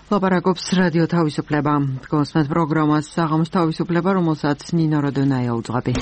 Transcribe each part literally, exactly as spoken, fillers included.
ლაპარაკობს რადიო თავისუფლება. გოსმენთ პროგრამას საღამოს თავისუფლება, რომელსაც ნინო როდონაია უძღვები.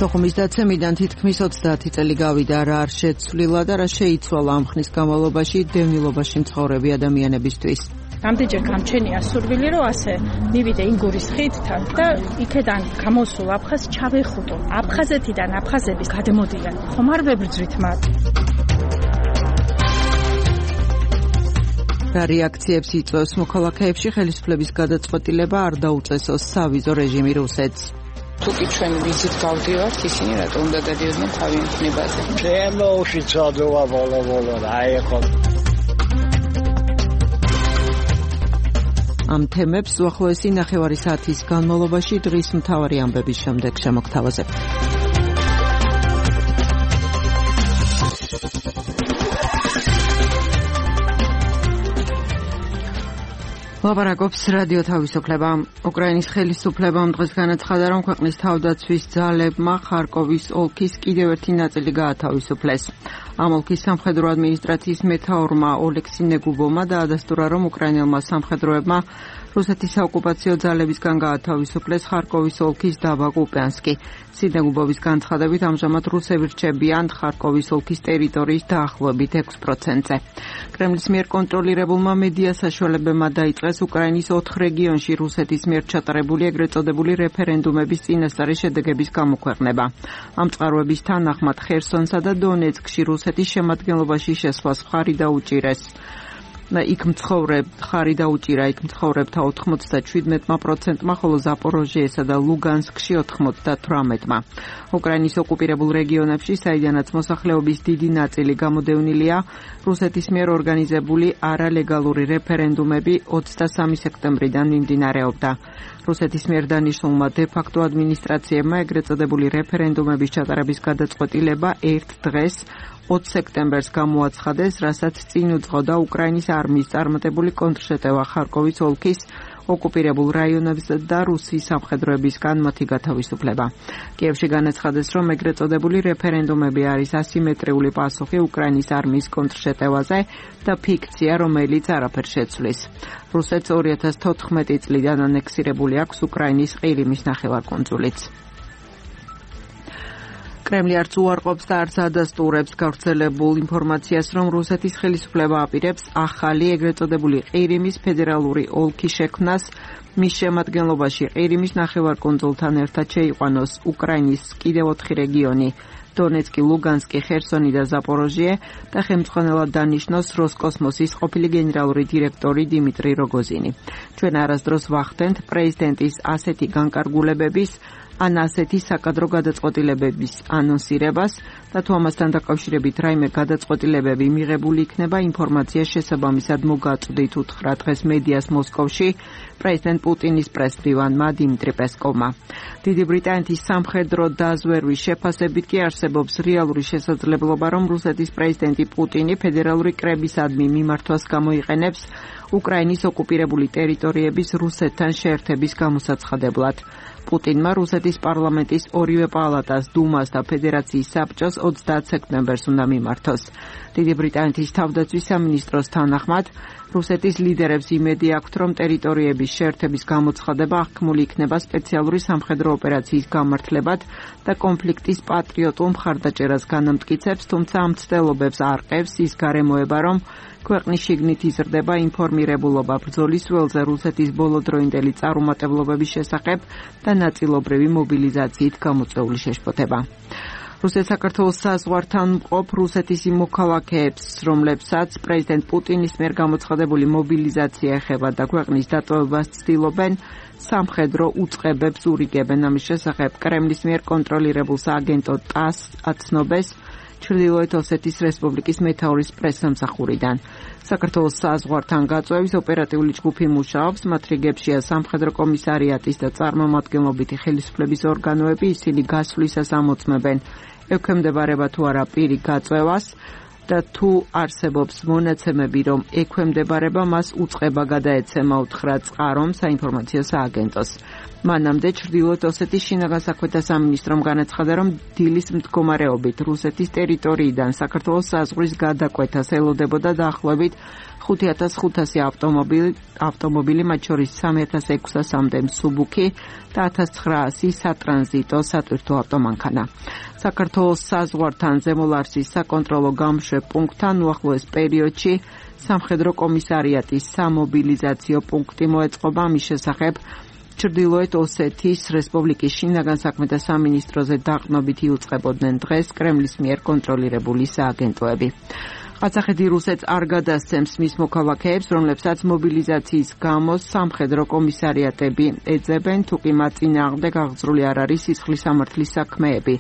სოხუმის დაცემიდან თითქმის ოცდაათი წელი გავიდა, რა არ შეცვლილა და რა შეიცვალა ამ ხნის განმავლობაში დევნილობაში მცხოვრები ადამიანებისთვის. Რამდენჯერ გამჩენია სურვილი, რომ ასე მივიდე ინგურის ხიდთან და იქედან გამოსულ აფხაზს ჩავეხუტო. აფხაზეთიდან აფხაზების გადმოდიან. ხომ არ ვებრძვით მათ? რა რეაქციებს იწვევს მოქალაქეებში ხელისუფლების გადაწყვეტილება არ დაუწესოს სავიზო რეჟიმი რუსეთს? თუკი ჩვენ ვიზით გავდივართ, ისინი რატომ უნდა გადიოდნენ თავიანთ ხნებაზე? ჩემოუში წოდოა ბოლო-ბოლო და აიყო. ამ თემებს უახლოესი ნახევარი საათის განმავლობაში დღის მთავარი ამბების შემდეგ შემოგთავაზებთ. ლაპარაკობს რადიო თავისუფლება. უკრაინის ხელისუფლებამ დღეს განაცხადა, რომ ქვეყნის თავდაცვის ძალებმა ხარკოვის ოლქის კიდევ ერთი ნაწილი გაათავისუფლეს. ამ ოლქის სამხედრო ადმინისტრაციის მეთაურმა ოლექსი ნეგუბოვმა დაადასტურა, რომ უკრაინელმა სამხედროებმა რუსეთის საოკუპაციო ძალებისგან გაათავისუფლეს ხარკოვის ოლქის დაბა კუპიანსკი. სინეგუბოვის განცხადებით, ამჟამად რუსები რჩებიან ხარკოვის ოლქის ტერიტორიის დაახლოებით ექვს პროცენტზე. კრემლის მიერ კონტროლირებულმა მედია საშუალებებმა დაიწყეს უკრაინის ოთხ რეგიონში რუსეთის მიერ ჩატარებული ეგრეთ წოდებული რეფერენდუმების წინასწარი შედეგების გამოქვეყნება. ამ წყაროების თანახმად ხერსონსა და დონეცკში რუსეთის შემადგენლობაში შესვლას მხარი დაუჭირეს. იქ მცხოვრებ ხარი დაუჭირა იქ მცხოვრებთა ოთხმოცდაშვიდმეტმა პროცენტმა, ხოლო ზაპოროჟიესა და ლუგანსკში ოთხმოცდათვრამეტმა. უკრაინის ოკუპირებულ რეგიონებში, საიდანაც მოსახლეობის დიდი ნაწილი გამოდევნილია, რუსეთის მიერ ორგანიზებული არალეგალური რეფერენდუმები ოცდასამი სექტემბრიდან მიმდინარეობდა. რუსეთის მიერ დანიშნულმა დე-ფაქტო ადმინისტრაციებმა ეგრეთ წოდებული რეფერენდუმების ჩატარების გადაწყვეტილება ერთ დღეს ოც სექტემბერს გამოაცხადეს, რასაც წინ უძღოდა უკრაინის არმიის წარმატებული კონტრშეტევა ხარკოვის ოლქის ოკუპირებულ რაიონებზე და რუსის სამხედროებისგან მათი გათავისუფლება. კიევში განაცხადეს, რომ ეგრეთ წოდებული რეფერენდუმები არის ასიმეტრიული პასუხი უკრაინის არმიის კონტრშეტევაზე და ფიქცია, რომელიც არაფერს შეცვლის. რუსეთს ორი ათას თოთხმეტი წლიდან ანექსირებული აქვს უკრაინის ყირიმის ნახევარკუნძულიც. კრემლი არც უარყოფს და არც ადასტურებს გავრცელებულ ინფორმაციას, რომ რუსეთის ხელისუფლება აპირებს ახალი ეგრეთ წოდებული ყირიმის ფედერალური ოლქის შექმნას, მის შემადგენლობაში ყირიმის ნახევარკუნძულთან ერთად შეიყვანოს უკრაინის კიდევ ოთხი რეგიონი: დონეცკი, ლუგანსკი, ხერსონი და ზაპოროჟიე და ხელმძღვანელად დანიშნოს როსკოსმოსის ყოფილი გენერალური დირექტორი დიმიტრი როგოზინი. ჩვენ არასდროს ვახდენთ პრეზიდენტის ასეთი განკარგულებების ან ასეთი საკადრო გადაწყვეტილებების ანონსირებას და თუ ამასთან დაკავშირებით რაიმე გადაწყვეტილებები მიღებული იქნება, ინფორმაცია შესაბამისად მოგაწვდით, უთხრა დღეს მედიას მოსკოვში პრეზიდენტ პუტინის პრესმდივანმა დიმიტრი პესკოვმა. დიდი ბრიტანეთის სამხედრო დაზვერვის შეფასებით კი არსებობს რეალური შესაძლებლობა, რომ რუსეთის პრეზიდენტი პუტინი ფედერალური კრებისადმი მიმართვას გამოიყენებს უკრაინის ოკუპირებული ტერიტორიების რუსეთთან შეერთების გამოსაცხადებლად. პუტინმა რუსეთის პარლამენტის ორივე პალატას, დუმას და ფედერაციის საბჭოს ოცდაათ სექტემბერს უნდა მიმართოს. დიდი ბრიტანეთის თავდაცვის სამინისტროს თანახმად, რუსეთის ლიდერებს იმედი აქვთ, რომ ტერიტორიების შეერთების გამოცხადება აღქმული იქნება სპეციალური სამხედრო ოპერაციის გამართლებად და კონფლიქტის პატრიოტულ მხარდაჭერას განამტკიცებს, თუმცა ამ ცდილობებს არყევს ის გარემოება, რომ ქვეყნის შიგნით იზრდება ინფორმირებულობა ბრძოლის ველზე რუსეთის ბოლოდროინდელი წარუმატებლობების შესახებ და ნაწილობრივი მობილიზაციით გამოწვეული შეშფოთება. რუსეთ საქართველოს საზღვართან მყოფ რუსეთის იმ მოქალაქეებს, რომლებსაც პრეზიდენტ პუტინის მიერ გამოცხადებული მობილიზაცია ეხება და ქვეყნის დატოვებას ცდილობენ, სამხედრო უწყებებს ურიგებენ. ამის შესახებ კრემლის მიერ კონტროლირებულ სააგენტო ტას აცნობას ჩრდილოეთ ოსეთის რესპუბლიკის მეთაურის პრესსამსახურიდან. საქართველოს საზღვართან გაწვევის ოპერატიული ჯგუფი მუშაობს, მათ რიგებშია სამხედრო კომისარიატის და წარმომადგენლობითი ხელისუფლების ორგანოები, ისინი გასვლისას ამოწმებენ, ექვემდებარება თუ არა პირი გაწვევას და თუ არსებობს მონაცემები, რომ ექვემდებარება, მას უწყება გადაეცემა უთხრა წყარომ საინფორმაციო სააგენტოს. მანამდე ჩრდილოეთ ოსეთის შინაგან საქმეთა სამინისტრომ განაცხადა, რომ დილის მდგომარეობით რუსეთის ტერიტორიიდან საქართველოს საზღვრის გადაკვეთას ელოდებოდა დაახლოებით ხუთი ათას ხუთასი ავტომობილი, ავტომობილი მათ შორის სამი ათას ექვსასამდე მსუბუქი და ათას ცხრაასი სატრანზიტო სატვირთო ავტომანქანა. საქართველოს საზღვართან ზემოლარსის საკონტროლო გამშვებ პუნქტთან უახლოეს პერიოდში სამხედრო კომისარიატის სამობილიზაციო პუნქტი მოეწყობა. ამის შესახებ ჩრდილოეთ ოსეთის რესპუბლიკის შინაგან საქმეთა სამინისტროზე დაყრდნობით იუწყებოდნენ დღეს კრემლის მიერ კონტროლირებული სააგენტოები. ყაზახეთი რუსეთს არ გადასცემს მის მოქალაქეებს, რომლებსაც მობილიზაციის გამო სამხედრო კომისარიატები ეძებენ, თუ კი მათ წინააღმდეგ აღძრული არ არის სისხლის სამართლის საქმეები.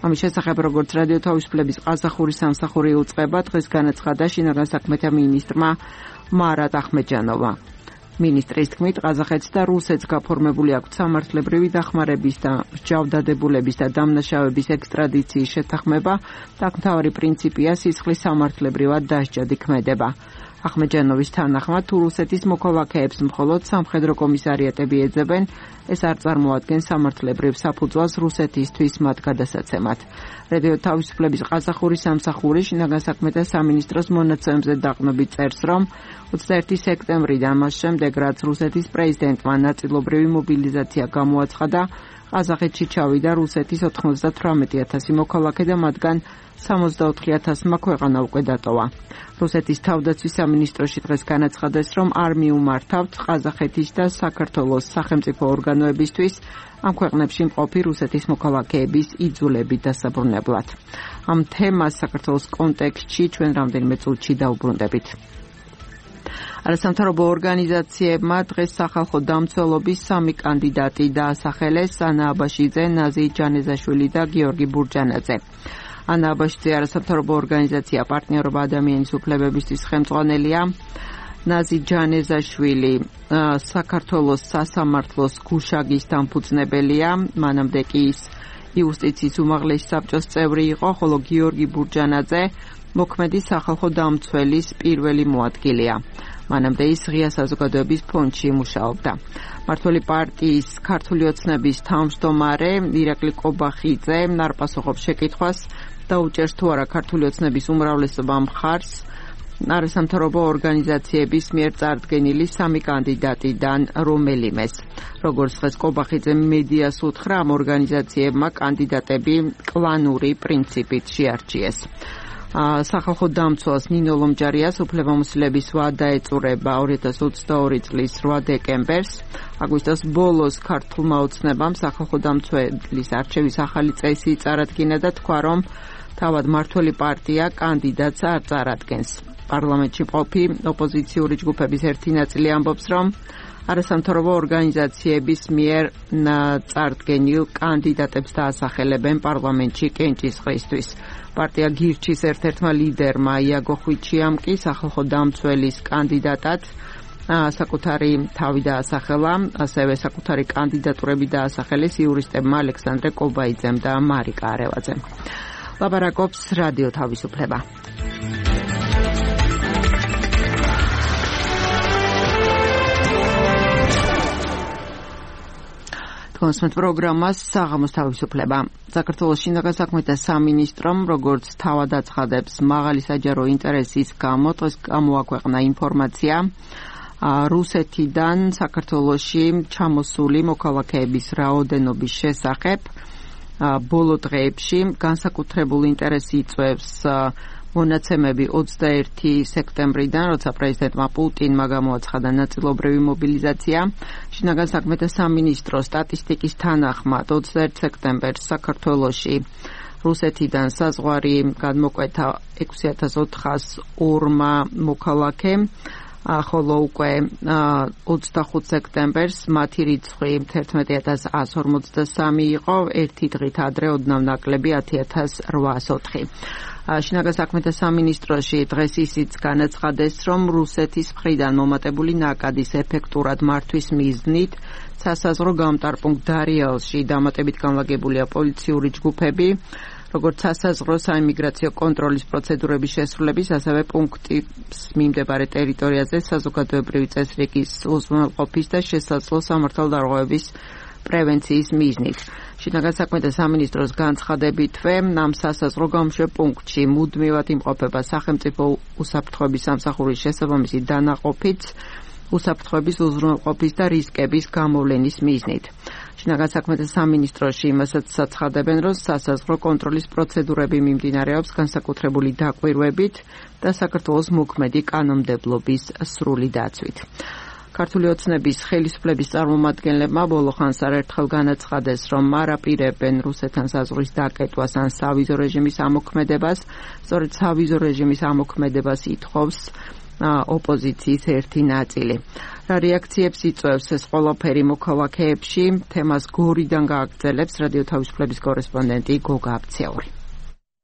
ამის შესახებ, როგორც რადიო თავისუფლების ყაზახური სამსახური იუწყება, დღეს განაცხადა შინაგან საქმეთა მინისტრმა მარატ ახმეჯანოვმა. მინისტრის თქმით, ყაზახეთს და რუსეთს გაფორმებული აქვთ სამართლებრივი დახმარების და მსჯავრდადებულების და დამნაშავების ექსტრადიციის შეთანხმება და მთავარი პრინციპია სისხლის სამართლებრივად დასჯადი ქმედება. ახმეჯანოვის თანახმად, თუ რუსეთის მოქალაქეებს მხოლოდ სამხედრო კომისარიატები ეძებენ, ეს არ წარმოადგენს სამართლებრივ საფუძველს რუსეთისთვის მათ გადასაცემად. რადიო თავისუფლების ყაზახური სამსახური შინაგან საქმეთა სამინისტროს მონაცემებზე დაყრდნობით წერს, რომ ოცდაერთი სექტემბრიდან მას შემდეგ, რაც რუსეთის პრეზიდენტმა ნაწილობრივი მობილიზაცია გამოაცხადა, ყაზახეთში ჩავიდა რუსეთის ოთხმოცდათვრამეტი ათასი მოქალაქე და მათგან სამოცდაოთხი ათასმა ქვეყანა უკვე დატოვა. რუსეთის თავდაცვის სამინისტროში დღეს განაცხადეს, რომ არ მიუმართავთ ყაზახეთის და საქართველოს სახელმწიფო ორგანოებისთვის ამ ქვეყნებში მყოფი რუსეთის მოქალაქეების იძულებით დასაბრუნებლად. ამ თემას საქართველოს კონტექსტში ჩვენ რამდენიმე წუთში დაუბრუნდებით. არასამთავრობო ორგანიზაციებმა დღეს სახალხო დამცველობის სამი კანდიდატი დაასახელეს: ანა აბაშიძე, ნაზი ჯანეზაშვილი და გიორგი ბურჯანაძე. ანა აბაშიძე არასამთავრობო ორგანიზაცია პარტნიორობა ადამიანის უფლებებისთვის ხელმძღვანელია. ნაზი ჯანეზაშვილი საქართველოს სასამართლოს გუშაგის დამფუძნებელია, მანამდე კი ის იუსტიციის უმაღლესი საბჭოს წევრი იყო, ხოლო გიორგი ბურჯანაძე მოქმედი სახალხო დამცველის პირველი მოადგილეა. მანამდე ის ღია საზოგადოების ფონდში მუშაობდა. მმართველი პარტიის ქართული ოცნების თავმჯდომარე ირაკლი კობახიძე არ პასუხობს შეკითხვას და უჭერს თუ არა ქართული ოცნების უმრავლესობა მხარს არასამთავრობო ორგანიზაციების მიერ წარდგენილი სამი კანდიდატიდან რომელიმეს. როგორც დღეს კობახიძე მედიას უთხრა, ამ ორგანიზაციებმა კანდიდატები კლანური პრინციპით შეარჩიეს. სახალხო დამცველს ნინო ლომჯარიას უფლებამოსილების ვადა ეწურება ორი ათას ოცდაორი წლის რვა დეკემბერს. აგვისტოს ბოლოს ქართულმა ოცნებამ სახალხო დამცველის არჩევის ახალი წესი წარადგინა და თქვა, რომ თავად მმართველი პარტია კანდიდატს არ წარადგენს. პარლამენტში მყოფი ოპოზიციური ჯგუფების ერთი ნაწილი ამბობს, რომ არასამთავრობო ორგანიზაციების მიერ წარდგენილ კანდიდატებს დაასახელებენ პარლამენტში კენჭისყრისთვის. პარტია გირჩის ერთ-ერთმა ლიდერმა იაგო ხვიჩიამ კი სახალხო დამცველის კანდიდატად საკუთარი თავი დაასახელა, ასევე საკუთარი კანდიდატურები დაასახელეს იურისტებმა ალექსანდრე კობაიძემ და მარიკა არევაძემ. ლაპარაკობს რადიო თავისუფლება. კონსმეთ პროგრამას საღამოს თავისუფლება. საქართველოს შინაგან საქმეთა სამინისტრომ, როგორც თავად აცხადებს, მაღალი საჯარო ინტერესის გამო დღეს გამოაქვეყნა ინფორმაცია რუსეთიდან საქართველოში ჩამოსული მოქალაქეების რაოდენობის შესახებ. ბოლო დღეებში განსაკუთრებული ინტერესი იწვევს მონაცემები ოცდაერთი სექტემბრიდან, როცა პრეზიდენტმა პუტინმა გამოაცხადა ნაწილობრივი მობილიზაცია. შინაგან საქმეთა სამინისტროს სტატისტიკის თანახმად ოცდაერთი სექტემბერს საქართველოში რუსეთიდან საზღვარი გადმოკვეთა ექვსი ათას ოთხას ორმა მოქალაქემ, ხოლო უკვე ოცდახუთ სექტემბერს მათი რიცხვი თერთმეტი ათას ათს ორმოცდასამი იყო, ერთი დღით ადრე ოდნავ ნაკლები ათი ათას რვაას ოთხი. შინაგან საქმეთა სამინისტროში დღეს ისიც განაცხადეს, რომ რუსეთის მხრიდან მომატებული ნაკადის ეფექტურად მართვის მიზნით სასაზღვრო გამტარპუნქტ დარიალში დამატებით განლაგებულია პოლიციური ჯგუფები. როგორც სასაზღვრო საიმიგრაციო კონტროლის პროცედურების შესრულების, ასევე პუნქტის მიმდებარე ტერიტორიაზე საზოგადოებრივი წესრიგის უზრუნველყოფის და შესაძლო სამართალდარღვევების პრევენციის მიზნით. შინაგან საქმეთა სამინისტროს განცხადებითვე, ამ სასაზღვრო გამშვებ პუნქტში მუდმივად იმყოფება სახელმწიფო უსაფრთხოების სამსახურის შესაბამისი დანაყოფით უსაფრთხოების უზრუნველყოფის და რისკების გამოვლენის მიზნით. შინაგან საქმეთა სამინისტროში იმასაც საცხადებენ, რომ სასაზღვრო კონტროლის პროცედურები მიმდინარეობს განსაკუთრებული დაკვირვებით და საქართველოს მოქმედი კანონმდებლობის სრული დაცვით. ქართული ოცნების ხელისუფლების წარმომადგენლებმა ბოლო ხანს არაერთხელ განაცხადეს, რომ მარაპირებენ რუსეთთან საზღვრის დაკეტვას ან სავიზო რეჟიმის ამოქმედებას, სწორედ სავიზო რეჟიმის ამოქმედებას ითხოვს ოპოზიციის ერთი ნაწილი. რა რეაქციებს იწვევს ეს ყველაფერი მოქალაქეებში, თემას გორიდან გააგრძელებს რადიო თავისუფლების კორესპონდენტი გოგა აბციური.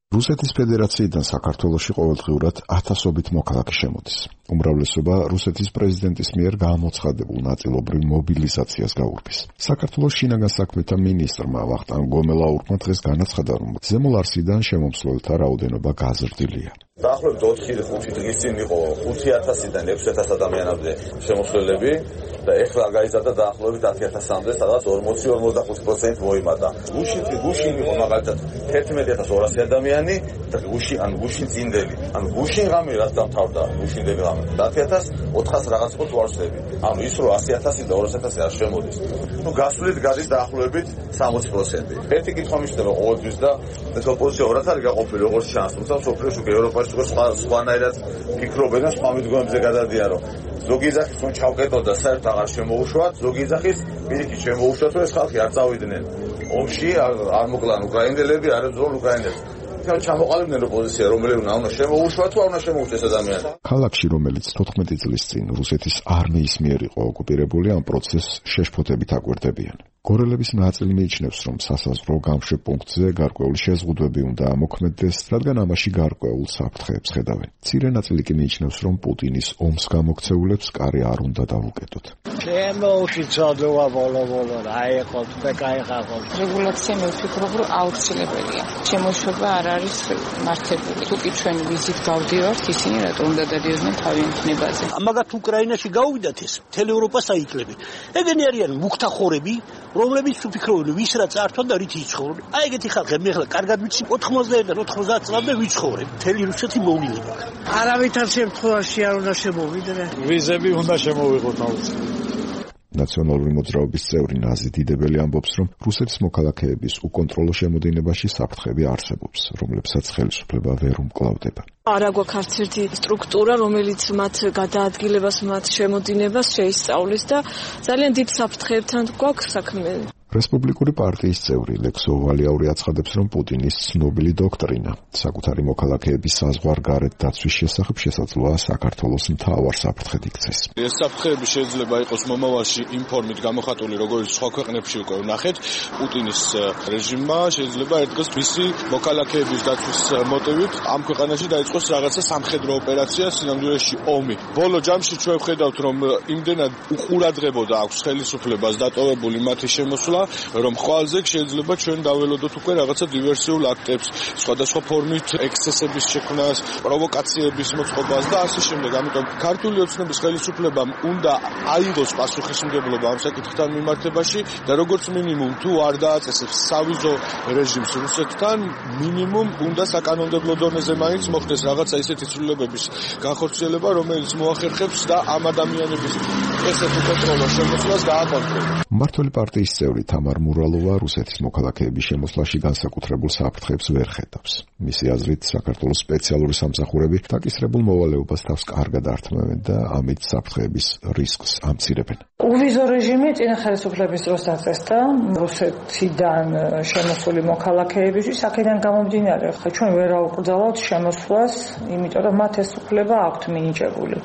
რუსეთის ფედერაციიდან საქართველოში ყოველდღიურად ათასობით მოქალაქე შემოდის. უმრავლესობა რუსეთის პრეზიდენტის მიერ გამოცხადებულ ნაწილობრივ მობილიზაციას გაურბის. საქართველოს შინაგან საქმეთა მინისტრმა ვახტანგ გომელაურმა დღეს განაცხადა, რომ ზემო ლარსიდან შემომსვლელთა რაოდენობა გაზრდილია. დაახლოებით ოთხი ხუთი დღის წინ იყო ხუთი ათასიდან ექვსი ათას ადამიანამდე შემოსვლელები და ეხლა გაიზარდა დაახლოებით ათი ათასამდე, სადაც ორმოცი ორმოცდახუთი პროცენტი მოიმატა. გუშინ გუშინ იყო მაგალითად თერთმეტი ათას ორასი ადამიანი და გუშინ ან გუშინ წინდელი. ან გუშინ ღამე რაც დამთავრდა, გუშინდელი ღამე ათი ათას ოთხას რაღაც იყო ვარსები. ანუ ის რომ ასი ათასი და ორასი ათასი არ შემოდის. ნუ გასვლით გადის დაახლოებით სამოცი პროცენტი. ერთი კითხვა მიჩნდება ყოველთვის და ეს ოპოზიცია ორად არის გაყოფილი როგორც ჩანს, თუმცა სოფლიოში უკვე ევროპაში სხვა სხვანაირად ფიქრობენ და სხვა მიდგომებზე გადადიან, რომ ზოგი ეძახის რომ ჩავკეტო და საერთოდ აღარ შემოუშვათ, ზოგი ეძახის პირიქით შემოუშვათ, რომ ეს ხალხი არ წავიდნენ ომში, არ მოკლან უკრაინელები, არ ებრძოლ უკრაინელებს. თქო ჩამოყალიბდნენ ოპოზიცია, რომელიც უნდა შემოუშვათ თუ არ უნდა შემოუშვეს ადამიანს. ქალაქში, რომელიც თოთხმეტი წლის წინ რუსეთის არმიის მიერ იყო ოკუპირებული, ამ პროცესს შეშფოთებით აკვირდებიან. გორელების ნაწილი მიიჩნევს, რომ სასაზღვრო გამშვებ პუნქტზე გარკვეული შეზღუდვები უნდა ამოქმედდეს, რადგან ამაში გარკვეულ საფრთხეებს ხედავენ. მცირე ნაწილი კი მიიჩნევს, რომ პუტინის ომს გამოქცეულებს კარი არ უნდა დავუკეტოთ. შემოუშვიცოდოა ბოლო-ბოლო, აიყოთ და გაიხაღოთ. რეგულაცია მე ვფიქრობ, რომ აუცილებელია. შემოშვება არ არის მართებული. თუკი ჩვენ ვიზით გავდივართ, ისინი რატო უნდა დადიოდნენ თავიანთ ხნებაზე? მაგათ უკრაინაში გავიდათ ეს, მთელ ევროპას აიკლებენ. ეგენი არიან მუქთახორები, რომლებიც უფიქრობენ ვის რა წართვა და რით იცხოვრენ. აი ეგეთი ხალხები მე ახლა კარგად ვიცი ოთხმოცდაერთიდან ოცდაათ წლამდე ვიცხოვრებ. მთელი რუსეთი მოვლილი. არავითარ შემთხვევაში არ უნდა შემოვიდრე. ვიზები უნდა შემოვიღოთ აუცილებლად. ნაციონალური მოძრაობის წევრი ნაზი დიდებელი ამბობს, რომ რუსეთის მოქალაქეების უკონტროლო შემოდინებაში საფრთხები არსებობს, რომლებსაც ხელისუფლება ვერ უმკლავდება. არა გვაქვს არც ერთი სტრუქტურა, რომელიც მათ გადაადგილებას, მათ შემოდინებას შეისწავლის და ძალიან დიდ საფრთხეებთან გვაქვს საქმე. რესპუბლიკური პარტიის წევრი ლექსო ვალიაური აცხადებს, რომ პუტინის ცნობილი დოქტრინა საკუთარი მოქალაქეების საზღვარგარეთ დაცვის შესახებ შესაძლოა საქართველოს მთავარ საფრთხედ იქცეს. ეს საფრთხეები შეიძლება იყოს მომავალში იმ ფორმით გამოხატული, როგორც სხვა ქვეყნებში უკვე ვნახეთ. პუტინის რეჟიმმა შეიძლება ერთ-დღეს მისი მოქალაქეების დაცვის მოტივით ამ ქვეყანაში დაიწყოს რაღაცა სამხედრო ოპერაცია, სინამდვილეში ომი. ბოლო ჯამში ჩვენ ვხედავთ, რომ იმდენად უყურადღებოდა აქვს ხელისუფლებას დატოვებული მათი შემოსვლა, რომ ხვალზე შეიძლება ჩვენ დაველოდოთ უკვე რაღაცა დივერსიულ აქტებს, სხვადასხვა ფორმით ექსცესების შექმნას, პროვოკაციების მოწყობას და ასე შემდეგ. ამიტომ ქართული ოცნების ხელისუფლებამ უნდა აიღოს პასუხისმგებლობა ამ საკითხთან მიმართებაში და როგორც მინიმუმ თუ არ დააწესებს სავიზო რეჟიმს რუსეთთან, მინიმუმ უნდა საკანონმდებლო დონეზე მაინც მოხდეს რაღაცა ისეთი ცვლილებების განხორციელება, რომელიც მოახერხებს და ამ ადამიანების ესეთ უკონტროლო შემოსვლას დააკონტროლოს. მმართველი პარტიის წევრი თამარ მურალოვა რუსეთის მოქალაქეების შემოსვლაში განსაკუთრებულ საფრთხეებს ვერ ხედავს. მისი აზრით, საქართველოს სპეციალური სამსახურები დაკისრებულ მოვალეობას თავს კარგად ართმევენ და ამით საფრთხეების რისკს ამცირებენ. უვიზო რეჟიმი წინა ხელისუფლების დროს დაწესდა რუსეთიდან შემოსული მოქალაქეებისთვის, აქედან გამომდინარე, ხა ჩვენ ვერ აუკრძალავთ შემოსვლას, იმიტომ რომ მათ ეს უფლება აქვთ მინიჭებული.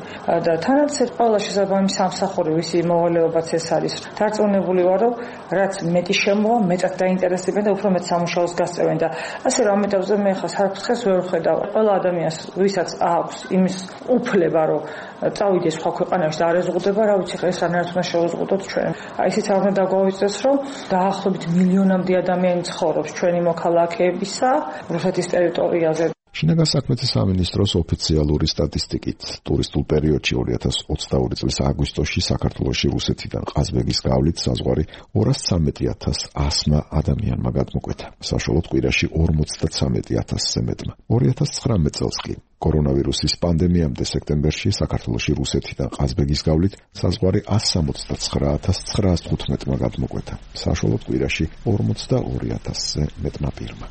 და თანაც ეს ყველა შესაბამის სამსახური მომსახური ვისი მოვალეობაც ეს არის. დარწმუნებული ვარ, რომ რაც მეტი შემოვა, მეტად დაინტერესებენ და უფრო მეტ სამუშაოს გასწევენ და ასე რომ ამიტომზე მე ხა საფრთხეს ვერ ვხედავ. ყველა ადამიანს, ვისაც აქვს იმის უფლება, რომ წავიდეს სხვა ქვეყანაში და არ ეზღუდება, რა ვიცი, ეს რანაირად უნდა შევეზღუდოთ ჩვენ. აი ისიც არ უნდა დაგვავიწყდეს, რომ დაახლოებით მილიონამდე ადამიანი ცხოვრობს ჩვენი მოქალაქეებისა რუსეთის ტერიტორიაზე. შინაგან საქმეთა სამინისტროს ოფიციალური სტატისტიკით, ტურისტულ პერიოდში ორი ათას ოცდაორი წლის აგვისტოში საქართველოში რუსეთიდან ყაზბეგის გავლით საზღვარი ორას ცამეტი ათას ასმა ადამიანმა გადმოკვეთა. საშუალოდ კვირაში ორმოცდაცამეტი ათასზე მეტმა. ორი ათას ცხრამეტ წელს კი კორონავირუსის პანდემიამდე სექტემბერში საქართველოში რუსეთიდან ყაზბეგის გავლით საზღვარი ასს სამოცდაცხრა ათას ცხრაას თხუთმეტმა გადმოკვეთა. საშუალოდ კვირაში ორმოცდაორი ათასზე მეტმა პირმა.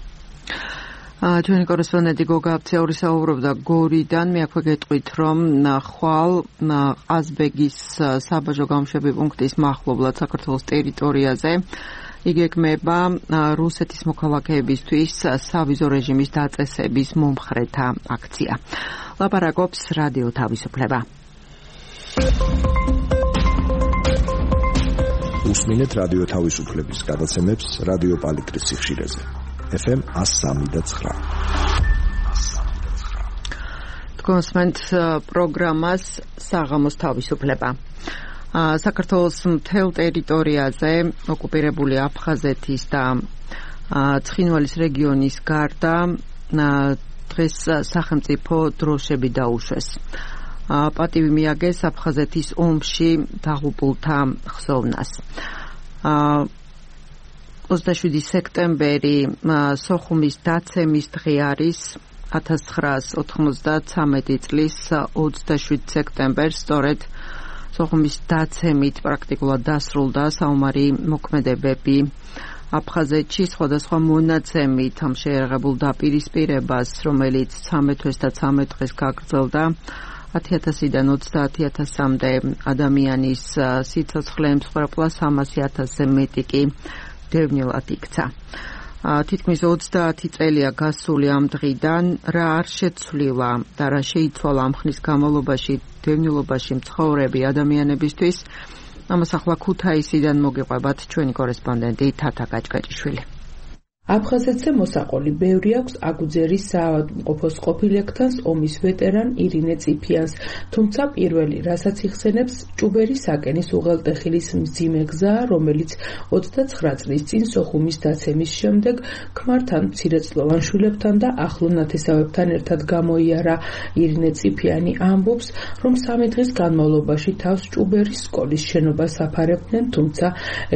ჩვენი კორესპონდენტი გოგა აფციური საუბრობდა გორიდან. მე აქვე გეტყვით, რომ ხვალ ყაზბეგის საბაჟო გამშვები პუნქტის მახლობლად საქართველოს ტერიტორიაზე იგეგმება რუსეთის მოქალაქეებისთვის სავიზო რეჟიმის დაწესების მომხრეთა აქცია. ლაპარაკობს რადიო თავისუფლება. უსმინეთ რადიო თავისუფლების გადაცემებს რადიო პალიტრის სიხშირეზე. ეფ ემ εκατო სამი და ცხრა. თქვენს პროგრამას საღამოს თავისუფლება. საქართველოს მთელ ტერიტორიაზე ოკუპირებული აფხაზეთის და ცხინვალის რეგიონის გარდა დღეს სახელმწიფო დროშები დაუშვეს. პატივი მიაგეს აფხაზეთის ომში დაღუპულთა ხსოვნას. ოცდაშვიდი სექტემბერი სოხუმის დაცემის დღე არის. ათას ცხრაას ოთხმოცდაცამეტი წლის ოცდაშვიდ სექტემბერს სწორედ სოხუმის დაცემით პრაქტიკულად დასრულდა საომარი მოქმედებები აფხაზეთში. სხვადასხვა მონაცემით ამ შეერაღებულ დაპირისპირებას, რომელიც ცამეტ თვეს და ცამეტ დღეს გაგრძელდა, ათი ათასიდან ოცდაათი ათასამდე ადამიანის სიცოცხლე ემსხვერპლა, სამასი ათასზე მეტი კი დევნილად იქცა. თითქმის ოცდაათი წელია გასული ამ დღიდან, რა არ შეცვლილა და რა შეიცვალა ამ ხნის განმავლობაში დევნილობაში მცხოვრები ადამიანებისთვის, ამას ახლა ქუთაისიდან მოგიყვებათ ჩვენი კორესპონდენტი თათა გაჭკაჭიშვილი. აფხაზეთზე მოსაყოლი ბევრი აქვს აგუძერის საავადმყოფოს ყოფილ ექთანს ომის ვეტერან ირინე წიფიანს, თუმცა პირველი, რასაც იხსენებს, ჭუბერის საკენის უღელტეხილის მძიმე გზა, რომელიც ოცდაცხრა წლის წინ სოხუმის დაცემის შემდეგ ქმართან, მცირეწლოვან შვილებთან და ახლო ნათესავებთან ერთად გამოიარა. ირინე წიფიანი ამბობს, რომ სამი დღის განმავლობაში თავს ჭუბერის სკოლის შენობას აფარებდნენ, თუმცა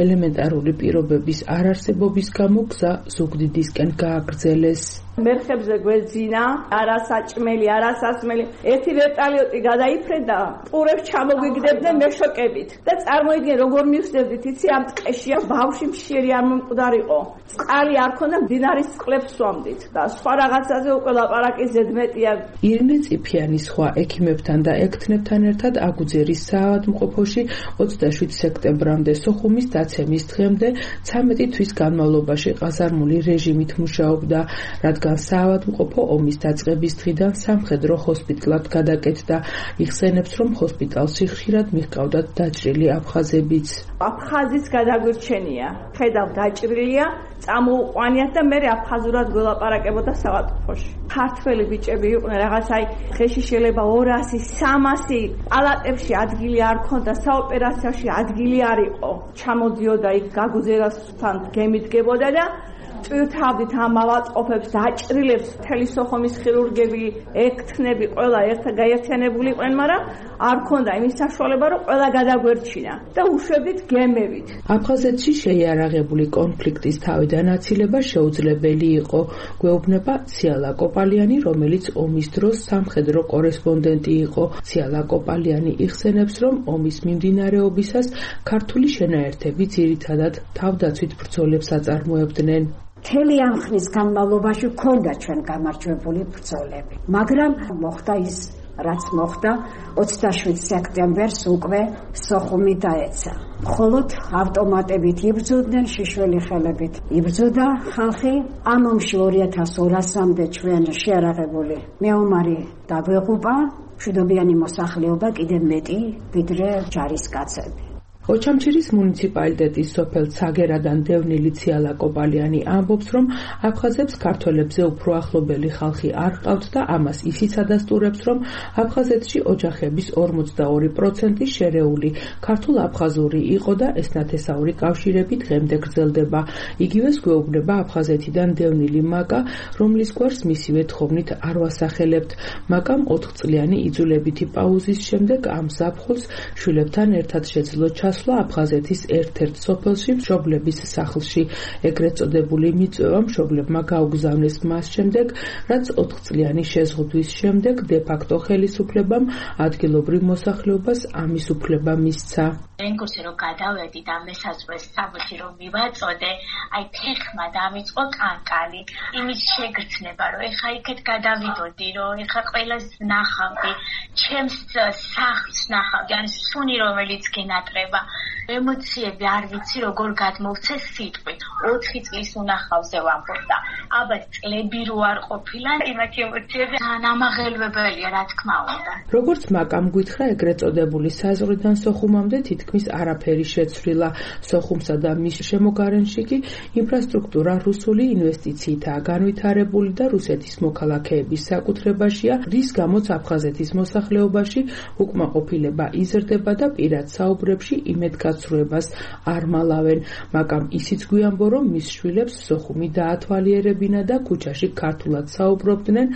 ელემენტარული პირობების არარსებობის გამო გზა ზუგდიდისკენ გააგრძელეს. მერხებზე გვეძინა, არასაჭმელი, არასასმელი. ერთი ვერტალიოტი გადაიფრენდა, პურებს ჩამოგვიგდებდნენ მეშოკებით. და წარმოიდგინე როგორ მივსდებდით, იცი ამ ტყეში ბავშვი მშიერი არ მომკვდარიყო. წყალი არ ქონდა, მდინარის წყლებს სვამდით და სხვა რაღაცაზე უკვე ლაპარაკი ზედმეტია. ირინე წიფიანი სხვა ექიმებთან და ექთნებთან ერთად აგუძერის საავადმყოფოში ოცდაშვიდ სექტემბრამდე სოხუმის დაცემის დღემდე ცამეტი თვის განმავლობაში ყაზარმული რეჟიმით მუშაობდა, რადგან საავადმყოფო ომის დაწყების დღიდან სამხედრო ჰოსპიტალად გადაკეთდა. იხსენებს, რომ ჰოსპიტალში ხშირად მიჰყავდათ დაჭრილი აფხაზებიც. აფხაზიც გადაგვირჩენია, ხედავ დაჭრილია, წამოუყვანიათ და მე აფხაზურად გველაპარაკებოდა საავადმყოფოში. ქართველი ბიჭები იყვნენ, რაღაც აი ხეში შეიძლება ორასი, სამასი, პალატებში ადგილი არ ქონდა, საოპერაციოში ადგილი არ იყო. ჩამოდიოდა იქ გაგუზერასთან გემიდგებოდა და წვირთავდით ამ ავადმყოფებს, დაჭრილებს, მთელი სოხუმის ხირურგები, ექთნები, ყველა ერთად გაერთიანებული იყვნენ, მაგრამ არ ქონდა იმის საშუალება, რომ ყველა გადაგვერჩინა და უშვებდით გემებით. აფხაზეთში შეიარაღებული კონფლიქტის თავიდან აცილება შეუძლებელი იყო, გვეუბნება ციალა კოპალიანი, რომელიც ომის დროს სამხედრო კორესპონდენტი იყო. ციალა კოპალიანი იხსენებს, რომ ომის მიმდინარეობისას ქართული შენაერთები ძირითადად თავდაცვით ბრძოლებს აწარმოებდნენ. მთელი ამ ხნის განმავლობაში ჰქონდა ჩვენ გამარჯვებული ბრძოლები, მაგრამ მოხდა ის, რაც მოხდა, ოცდაშვიდ სექტემბერს უკვე სოხუმი დაეცა. მხოლოდ ავტომატებით იბრძოდნენ, შიშველი ხელებით იბრძოდა ხალხი. ამ ომში ორი ათას ორასამდე ჩვენ შეარაღებული მეომარი დაგვეღუპა მშვიდობიანი მოსახლეობა კიდევ მეტი ვიდრე ჯარისკაცები. ოჩამჩირის მუნიციპალიტეტის სოფელ ცაგერადან დევნილი ციალა კოპალიანი ამბობს, რომ აფხაზებს ქართველებზე უფრო ახლობელი ხალხი არ ჰყავთ და ამას ისიც ადასტურებს, რომ აფხაზეთში ოჯახების ორმოცდაორი პროცენტი შერეული ქართულ-აფხაზური იყო და ეს ნათესაური კავშირები დღემდე გრძელდება. იგივეს გვეუბნება აფხაზეთიდან დევნილი მაკა, რომლის გვარს მისივე თხოვნით არ ვასახელებთ. მაკამ ოთხწლიანი იძულებითი პაუზის შემდეგ ამ ზაფხულს შვილებთან ერთად შეძლო ჩასვლა აფხაზეთის ერთ-ერთ სოფელში მშობლების სახლში. ეგრეთ წოდებული მიწვევა მშობლებმა გაუგზავნეს მას შემდეგ, რაც ოთხწლიანი შეზღუდვის შემდეგ დე-ფაქტო ხელისუფლებამ ადგილობრივ მოსახლეობას ამის უფლება მისცა. რენგურში რომ გადავედი და მესაზღვრეს საბუთი რომ მივაწოდე, აი ფეხმა დამიწყო კანკალი. იმის შეგრძნება, რომ ეხა იქეთ გადავიდოდი, რომ ეხა ყველას ნახავდი, ჩემს სახლს ნახავდი, ან სუნი რომელიც გენატრება. ემოციები არ ვიცი როგორ გადმოვცე სიტყვით. ოთხი წლის უნახავზე ვამბობდა. აბა წლები რო არ ყოფილა, იმათი ემოციები ამაღელვებელია, რა თქმა უნდა. როგორც მაკამ გითხრა, ეგრეთ წოდებული საზღვრიდან სოხუმამდე თითქმის არაფერი შეცვლილა. სოხუმსა და მის შემოგარენში კი ინფრასტრუქტურა რუსული ინვესტიციითაა განვითარებული და რუსეთის მოქალაქეების საკუთრებაშია, რის გამოც აფხაზეთის მოსახლეობაში უკმაყოფილება იზრდება და პირად საუბრებში იმედგაცრუებას არ მალავენ. მაკამ ისიც გვიამბო, რომ მის შვილებს სოხუმი დაათვალიერებინა და ქუჩაში ქართულად საუბრობდნენ,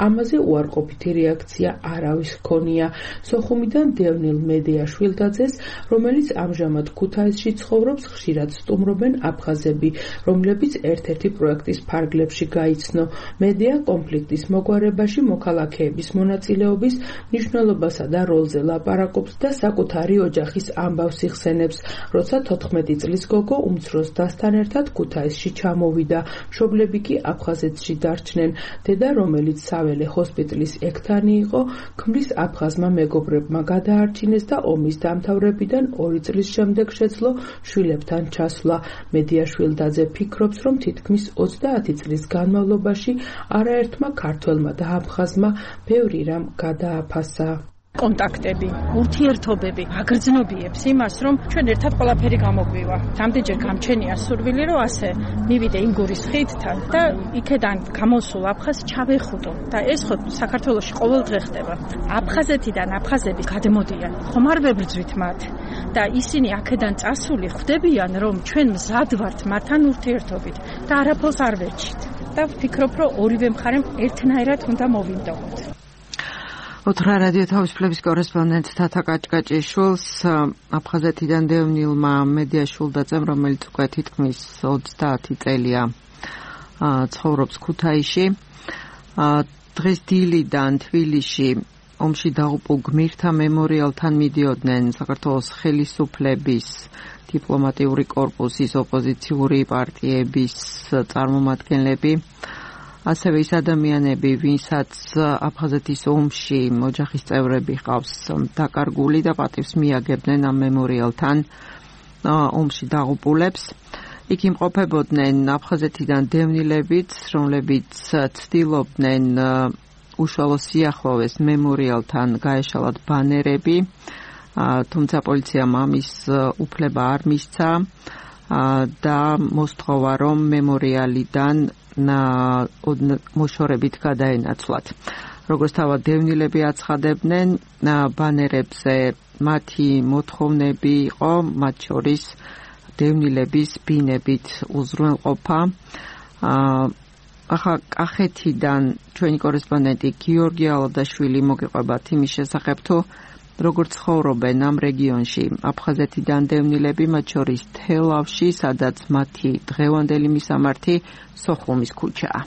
ამაზე უარყოფითი რეაქცია არავის ჰქონია. სოხუმიდან დევნილ მედია შვილდაძეს, რომელიც ამჟამად ქუთაისში ცხოვრობს, ხშირად სტუმრობენ აფხაზები, რომლებიც ერთ-ერთი პროექტის ფარგლებში გაიცნო. მედია კონფლიქტის მოგვარებაში მოქალაქეების მონაწილეობის მნიშვნელობასა და როლზე ლაპარაკობს და საკუთარი ოჯახის ამბავს იხსენებს, როცა თოთხმეტი წლის გოგო უმცროს დასთან ერთად ქუთაისში ჩამოვიდა. მშობლები კი აფხაზეთში დარჩნენ. დედა, რომელიც საველე ჰოსპიტალის ექთანი იყო, ქმრის აფხაზმა მეგობრებმა გადაარჩინეს და ომის დამთავრებიდან ორი წლის შემდეგ შეძლო შვილებთან ჩასვლა. მედია შვილდაძე ფიქრობს, რომ თითქმის ოცდაათი წლის განმავლობაში არაერთმა ქართველმა და აფხაზმა ბევრი რამ გადააფასა. კონტაქტები, ურთიერთობები აგრძნობიებს იმას, რომ ჩვენ ერთად ყველაფერი გამოგვივა. რამდენჯერ გამჩენია სურვილი, რომ ასე მივიდე იმ გურის ხიდთან და იქედან გამოსულ აფხაზს ჩავეხუტო. და ეს ხო საქართველოში ყოველდღე ხდება. აფხაზეთიდან აფხაზები გადმოდიან, ხომ არ ვებრძვით მათ და ისინი აქედან წასული ხვდებიან, რომ ჩვენ მზად ვართ მათთან ურთიერთობით და არაფერს არ ვერჩით. და ვფიქრობ, რომ ორივე მხარემ ერთნაირად უნდა მოვიმდოოთ. ოთრა რადიო თავისუფლების კორესპონდენტ თათა კაჭკაჭიშვილს აფხაზეთიდან დევნილმა მედია შვილდაძემ, რომელიც უკვე თითქმის ოცდაათი წელია ცხოვრობს ქუთაისში. დღეს დილიდან თბილისში ომში დაღუპულ გმირთა მემორიალთან მიდიოდნენ საქართველოს ხელისუფლების, დიპლომატიური კორპუსის, ოპოზიციური პარტიების წარმომადგენლები, ასევე ის ადამიანები, ვინცაც აფხაზეთის ომში ოჯახის წევრები ჰყავს დაკარგული და პატივს მიაგებდნენ ამ მემორიალთან ომში დაღუპულებს. იქ იმყოფებოდნენ აფხაზეთიდან დევნილებიც, რომლებიც ცდილობდნენ უშუალო სიახლოვეს მემორიალთან გაეშალათ ბანერები, თუმცა პოლიციამ ამის უფლება არ მისცა და მოსთხოვა, რომ მემორიალიდან მოშორებით გადაენაცვლათ. როგორც თავად დევნილები აცხადებდნენ, ბანერებზე მათი მოთხოვნები იყო, მათ შორის დევნილების ბინებით უზრუნველყოფა. ახლა კახეთიდან ჩვენი კორესპონდენტი გიორგი ალადაშვილი მოგიყვება იმის შესახებ, თუ როგორც ცხოვრობენ ამ რეგიონში აფხაზეთიდან დევნილები, მათ შორის თელავში, სადაც მათი დღევანდელი მისამართი სოხუმის ქუჩაა.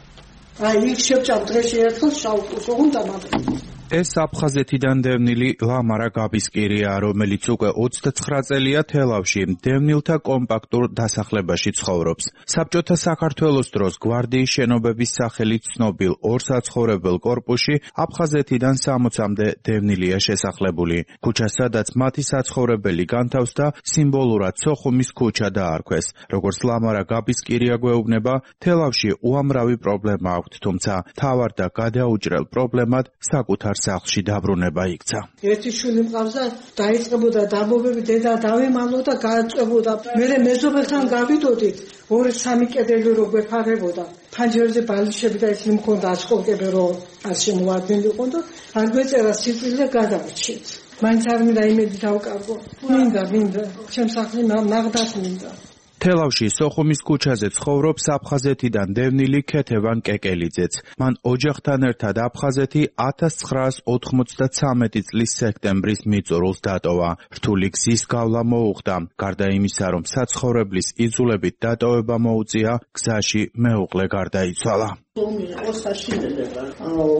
აი, იქ შევჭამ დღეში ერთხელ შავკუსო უნდა მაგრამ ეს აფხაზეთიდან დევნილი ლამარა გაბისკირია, რომელიც უკვე ოცდაცხრა წელია თელავში დევნილთა კომპაქტურ დასახლებაში ცხოვრობს. საბჭოთა საქართველოს დროს გვარდიის შენობების სახელით ცნობილ ორსაცხოვრებელ კორპუსში აფხაზეთიდან სამოცამდე დევნილია შესახლებული. ქუჩა, სადაც მათი საცხოვრებელი განთავსდა, სიმბოლურად სოხუმის ქუჩა დაარქვეს. როგორც ლამარა გაბისკირია გვეუბნება, თელავში უამრავი პრობლემა აქვთ, თუმცა თავარ და გადაუჭრელ პრობლემად საკუთარ სახლში დაბრუნება იქცა. ერთი შვილი მყავს და დაიწყებოდა დამობები, დედა დავემალო და გააწვებოდა. მე მეზობელთან გავიდოდით, ორი სამი კედელი რო გვეფარებოდა. ფანჯერზე ბალიშები და ისინი მქონდა აშკოლკები რო ასე მოვარდნილი იყო და არ გვეწერა სიკვდილი და გადავარჩიეთ. მაინც არ მინდა იმედი დავკარგო. მინდა, მინდა, ჩემს სახლი ნაღდას მინდა. თელავში სოხუმის ქუჩაზე ცხოვრობს აფხაზეთიდან დევნილი ქეთევან კეკელიძეც. მან ოჯახთან ერთად აფხაზეთი ათას ცხრაას ოთხმოცდათრამეტი წლის სექტემბრის მიწურულს დატოვა. რთული გზის გავლა მოუხდა. გარდა იმისა, რომ საცხოვრებლის იძულებით დატოვება მოუწია, გზაში მეუღლე გარდაიცვალა. ომი იყო საშინელება.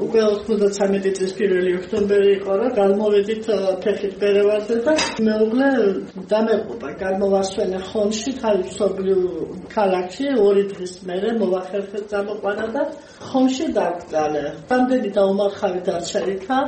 უკვე ოცდათრამეტი წლის პირველი ოქტომბერი იყო და გამოვედით ფეხით ბერევაზე და მეუღლე დამეყობა. გამოვასვენა ხომში, თავისუფლ ქალაქში, ორი დღის მერე მოვახერხეთ წამოყვანა და ხომში დაგწალე. რამდენი დაუმარხავი დარჩა,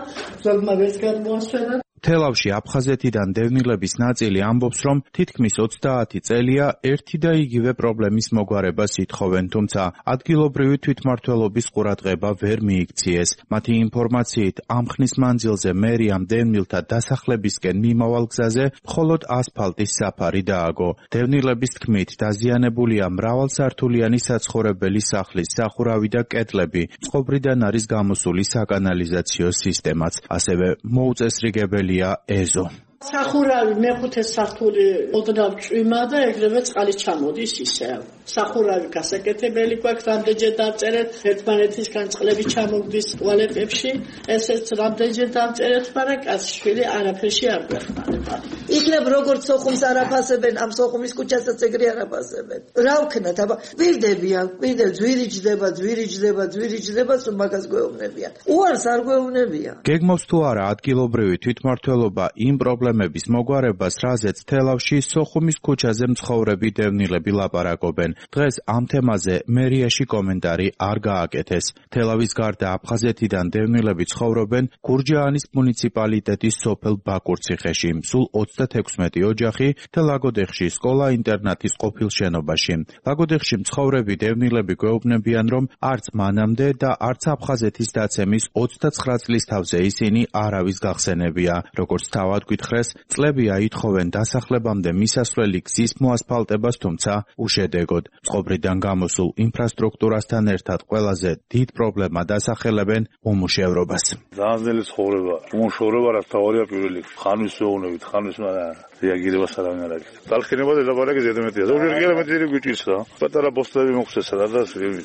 ზოგმა ვერც გადმოასვენა. თელავში აფხაზეთიდან დევნილების ნაწილი ამბობს, რომ თითქმის ოცდაათი წელია ერთი და იგივე პრობლემის მოგვარებას ითხოვენ, თუმცა ადგილობრივი თვითმმართველობის ყურადღება ვერ მიიქციეს. მათი ინფორმაციით, ამ ხნის მანძილზე მერიამ დევნილთა დასახლებისკენ მიმავალ გზაზე მხოლოდ ასფალტის საფარი დააგო. დევნილების თქმით, დაზიანებულია მრავალსართულიანი საცხოვრებელი სახლის სახურავი და კედლები, წყობრიდან არის გამოსული საკანალიზაციო სისტემაც, ასევე მოუწესრიგებელი ეზო. სახურავი მეხუთე სართული ოდნავ წვიმა და ეგრევე წყალი ჩამოდის ისევ. სახურავი გასაკეთებელი გვაქვს, რამდენჯერ დავწერეთ, ერთმანეთისგან წყლები ჩამოგდის ტუალეტებში, ესეც რამდენჯერ დავწერეთ, მაგრამ კაცშვილი არაფერში არ გვეხმარება. იქნებ როგორც სოხუმს არაფასებენ, ამ სოხუმის ქუჩასაც ეგრე არაფასებენ. რა ვქნათ, აბა ვირდებიან, ვირდებ ძვირიჯდება, ძვირიჯდება, ძვირიჯდება, სულ მაგას გვეუბნებიან. უარს არ გვეუბნებიან. გეგმავს თუ არა ადგილობრივი თვითმმართველობა იმ პრობლემების მოგვარებას, რაზეც თელავში სოხუმის ქუჩაზე მცხოვრები დევნილები ლაპარაკობენ. დღეს ამ თემაზე მერიაში კომენტარი არ გააკეთეს. თელავის გარდა აფხაზეთიდან დევნილები ცხოვრობენ გურჯაანის მუნიციპალიტეტის სოფელ ბაკურციხეში, სულ ოცდათექვსმეტი ოჯახი და ლაგოდეხში სკოლა-ინტერნატის ყოფილ შენობაში. ლაგოდეხში მცხოვრები დევნილები გვეუბნებიან, რომ არც მანამდე და არც აფხაზეთის დაცემის ოცდაცხრა წლის თავზე ისინი არავის გახსენებია. როგორც თავად გითხრეს, წლებია ითხოვენ დასახლებამდე მისასვლელი გზის მოასფალტებას, თუმცა უშედეგოდ. წყობრიდან გამოსულ ინფრასტრუქტურასთან ერთად ყველაზე დიდ პრობლემა დასახელებენ უმუშევრობას. Ძალიან ცხოვრება, უმუშევრობა რა თავია პირველი. ხანვის ვეუბნებით, ხანვის მაგრამ რეაგირებას არ ამერაკეთ. დალხინება და ლაბარაკი ზედმეტია. ზოგიერთი კილომეტრი გვიჭირდა. პატარა პოსტები მოხსესა და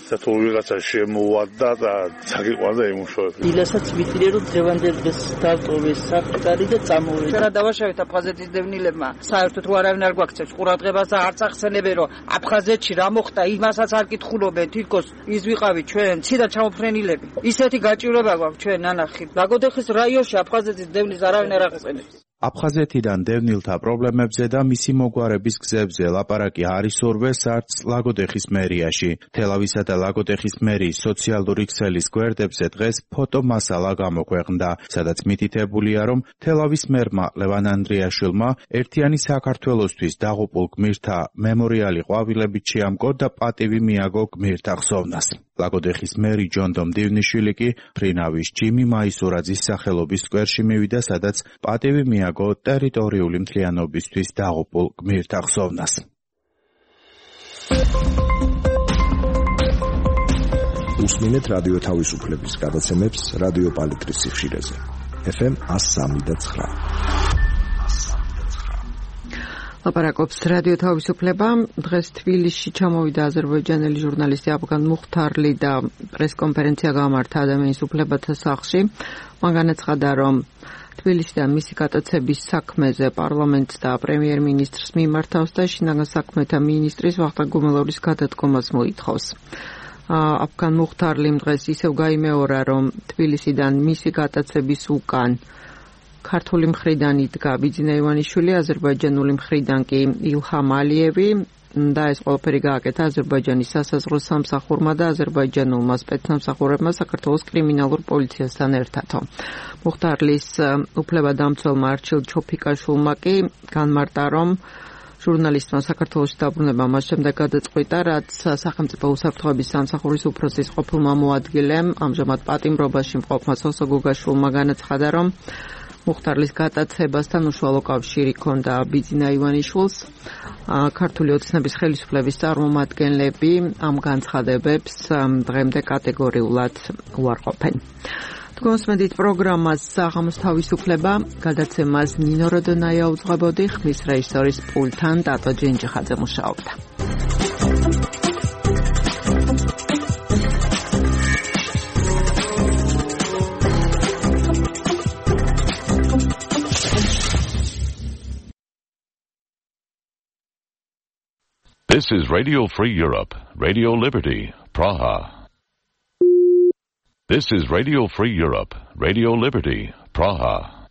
სათო ვიღაცა შემოვადა და საკიყვანდა იმუშავებს. ილასაც ვიტირე რომ დღევანდელ დღეს დავტოვეს საკუთარი და წამოვედი. რა დავაშავეთ აფხაზეთის დევნილებმა. საერთოდ თუ არავინ არ გვაქცევს ყურადღებას და არც ახსენებენ რომ აფხაზეთში რა მოხდა, იმასაც არ კითხულობენ, თითქოს ის ვიყავით ჩვენ ცირა ჩამოფრენილები. ისეთი გაჭირვება გვაქვს ჩვენ ნანახი. ლაგოდეხის რაიონში აფხაზეთის დევნის არავინ არ ახსენებს. აფხაზეთიდან დევნილთა პრობლემებზე და მისი მოგვარების გზებზე ლაპარაკი არ ისურვეს არც ლაგოდეხის მერიაში. თელავისა და ლაგოდეხის მერიის სოციალური ქსელის გვერდებზე დღეს ფოტომასალა გამოქვეყნდა, სადაც მითითებულია, რომ თელავის მერმა ლევან ანდრიაშვილმა ერთიანი საქართველოსთვის დაღუპულ გმირთა მემორიალი ყვავილებით შეამკო და პატივი მიაგო გმირთა ხსოვნას. ლაგოდეხის მერი ჯონდომ დივნიშვილი კი ფრინავის ჯიმი მაისურაძის სახელობის სკვერში მივიდა, სადაც პატივი მიაგო ტერიტორიული მთლიანობისთვის დაღუპულ გმირთა ხსოვნას. უსმინეთ რადიო თავისუფლების გადაცემებს რადიო პალიტრის სიხშირეზე. ეფ ემ one oh three point nine. ლაპარაკობს რადიო თავისუფლება. დღეს თბილისში ჩამოვიდა აზერბაიჯანელი ჟურნალისტი აფგან მუხთარლი და პრესკონფერენცია გამართა ადამიანის უფლებათა სახლში. მან განაცხადა, რომ თბილისიდან მისი გატაცების საქმეზე პარლამენტს და პრემიერ-მინისტრს მიმართავს და შინაგან საქმეთა მინისტრის ვახტანგ გუმელორის გადადგომას მოითხოვს. აფგან მუხთარლიმ დღეს ისევ გაიმეორა, რომ თბილისიდან მისი გატაცების უკან ქართული მხრიდან იდგა ბიძინა ივანიშვილი, აზერბაიჯანული მხრიდან კი ილჰამ ალიევი და ეს ყველაფერი გააკეთა აზერბაიჯანის სასაზღვრო სამსახურმა და აზერბაიჯანულმა სპეცსამსახურებმა საქართველოს კრიმინალურ პოლიციასთან ერთადო. მუხთარლის უფლებადამცველმა არჩილ ჩოფიკაშვილმა კი განმარტა, რომ ჟურნალისტმა საქართველოში დაბრუნება მას შემდეგ გადაწყვიტა, რაც სახელმწიფო უსაფრთხოების სამსახურის უფროსის ყოფილმა მოადგილემ ამჟამად პატიმრობაში მყოფმა სოსო გოგაშვილმა განაცხადა, რომ მუხტარლის გატაცებასთან უშუალო კავშირი ჰქონდა ბიძინა ივანიშვილს. ქართული ოცნების ხელისუფლების წარმომადგენლები ამ განცხადებებს დღემდე კატეგორიულად უარყოფენ. თქვენსმენდით პროგრამას საღამოს თავისუფლება, გადაცემას ნინო როდონაია უძღვებოდი, ხმის რეჟისორის პულტთან ტატო ჯენჯიხაძე მუშაობდა. This is Radio Free Europe, Radio Liberty, Praha. This is Radio Free Europe, Radio Liberty, Praha.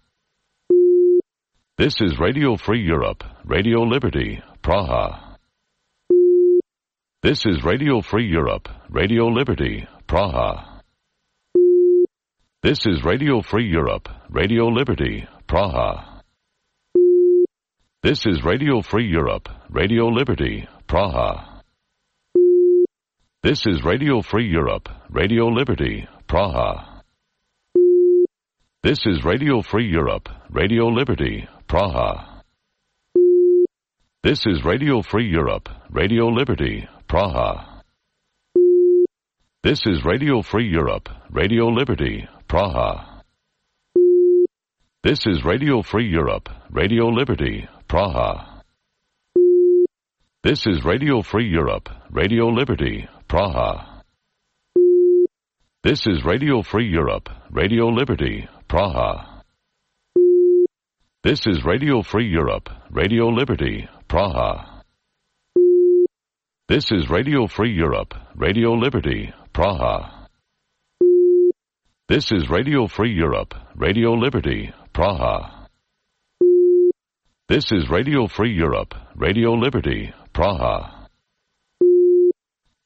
This is Radio Free Europe, Radio Liberty, Praha. This is Radio Free Europe, Radio Liberty, Praha. This is Radio Free Europe, Radio Liberty, Praha. This is Radio Free Europe, Radio Liberty, Praha. This is Radio Free Europe, Radio Liberty, Praha. This is Radio Free Europe, Radio Liberty, Praha. This is Radio Free Europe, Radio Liberty, Praha. This is Radio Free Europe, Radio Liberty, Praha. This is Radio Free Europe, Radio Liberty, Praha. This is Radio Free Europe, Radio Liberty, Praha. This is Radio Free Europe, Radio Liberty, Praha. This is Radio Free Europe, Radio Liberty, Praha. This is Radio Free Europe, Radio Liberty, Praha. This is Radio Free Europe, Radio Liberty, Praha.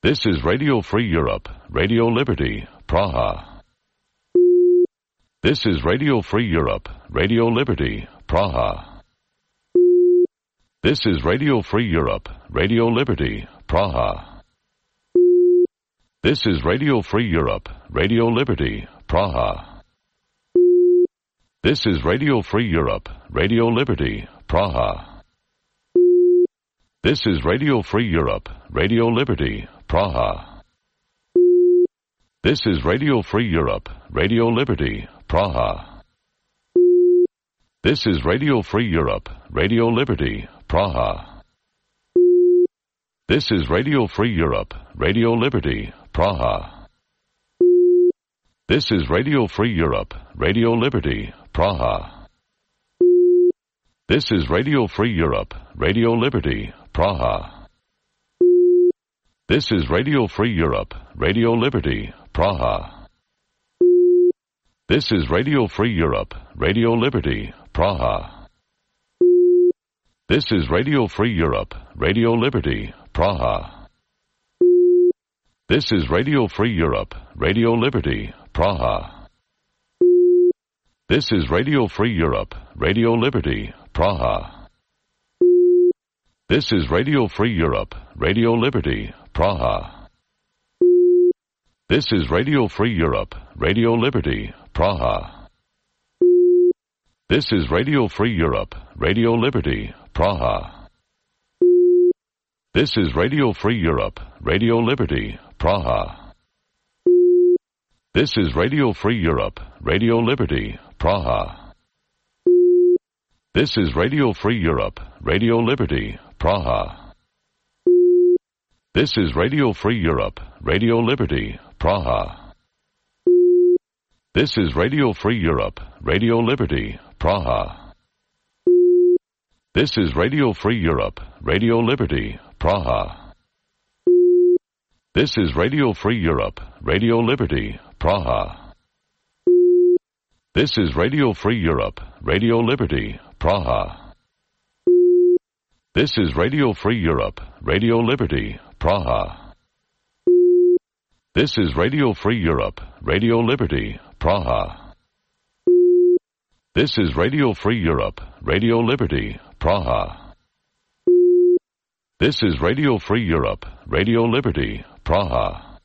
This is Radio Free Europe, Radio Liberty, Praha. This is Radio Free Europe, Radio Liberty, Praha. This is Radio Free Europe, Radio Liberty, Praha. This is Radio Free Europe, Radio Liberty, Praha. This is Radio Free Europe, Radio Liberty, Praha. This is Radio Free Europe, Radio Liberty, Praha. This is Radio Free Europe, Radio Liberty, Praha. This is Radio Free Europe, Radio Liberty, Praha. This is Radio Free Europe, Radio Liberty, Praha. This is Radio Free Europe, Radio Liberty, Praha. This is Radio Free Europe, Radio Liberty, Praha. This is Radio Free Europe, Radio Liberty, Praha. This is Radio Free Europe, Radio Liberty, Praha. This is Radio Free Europe, Radio Liberty, Praha. This is Radio Free Europe, Radio Liberty, Praha. This is Radio Free Europe, Radio Liberty, Praha. This is Radio Free Europe, Radio Liberty, Praha. This is Radio Free Europe, Radio Liberty, Praha. This is Radio Free Europe, Radio Liberty, Praha. This is Radio Free Europe, Radio Liberty, Praha. This is Radio Free Europe, Radio Liberty, Praha. This is Radio Free Europe, Radio Liberty, Praha. This is Radio Free Europe, Radio Liberty, Praha. This is Radio Free Europe, Radio Liberty, Praha. This is Radio Free Europe, Radio Liberty, Praha. This is Radio Free Europe, Radio Liberty, Praha. This is Radio Free Europe, Radio Liberty, Praha. This is Radio Free Europe, Radio Liberty, Praha. This is Radio Free Europe, Radio Liberty, Praha. This is Radio Free Europe, Radio Liberty, Praha. This is Radio Free Europe, Radio Liberty, Praha. This is Radio Free Europe, Radio Liberty, Praha.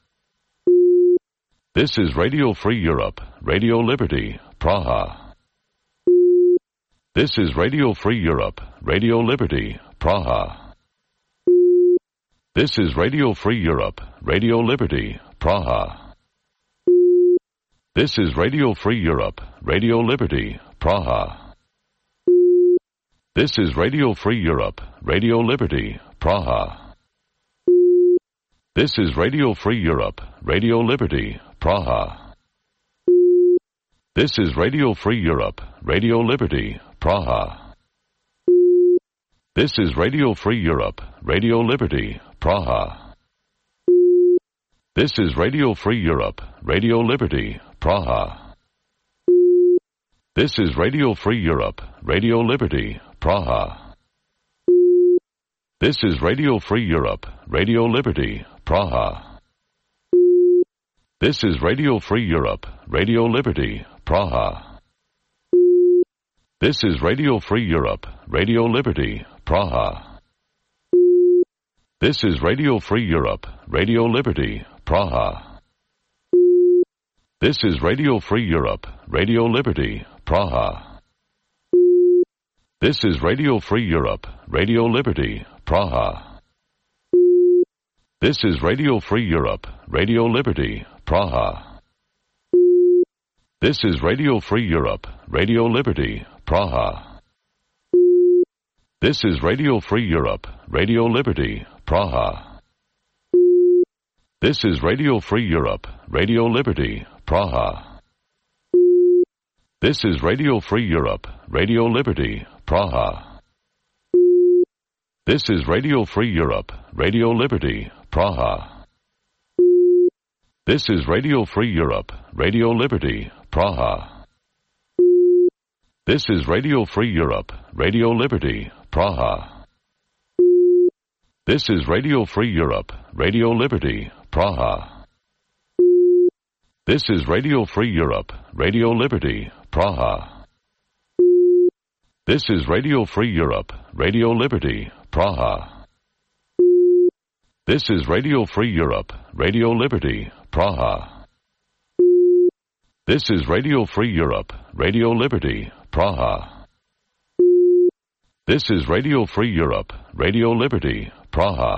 This is Radio Free Europe, Radio Liberty, Praha. This is Radio Free Europe, Radio Liberty, Praha. This is Radio Free Europe, Radio Liberty, Praha. This is Radio Free Europe, Radio Liberty, Praha. This is Radio Free Europe, Radio Liberty, Praha. This is Radio Free Europe, Radio Liberty, Praha. This is Radio Free Europe, Radio Liberty, Praha. This is Radio Free Europe, Radio Liberty, Praha. This is Radio Free Europe, Radio Liberty, Praha. This is Radio Free Europe, Radio Liberty, Praha. This is Radio Free Europe, Radio Liberty, Praha. This is Radio Free Europe, Radio Liberty, Praha. This is Radio Free Europe, Radio Liberty, Praha. This is Radio Free Europe, Radio Liberty, Praha. This is Radio Free Europe, Radio Liberty, Praha. This is Radio Free Europe, Radio Liberty, Praha. This is Radio Free Europe, Radio Liberty, Praha. This is Radio Free Europe, Radio Liberty, Praha. This is Radio Free Europe, Radio Liberty, Praha. This is Radio Free Europe, Radio Liberty, Praha. This is Radio Free Europe, Radio Liberty, Praha. This is Radio Free Europe, Radio Liberty, Praha. This is Radio Free Europe, Radio Liberty, Praha. This is Radio Free Europe, Radio Liberty, Praha. This is Radio Free Europe, Radio Liberty, Praha. This is Radio Free Europe, Radio Liberty, Praha. This is Radio Free Europe, Radio Liberty, Praha. This is Radio Free Europe, Radio Liberty, Praha. This is Radio Free Europe, Radio Liberty, Praha.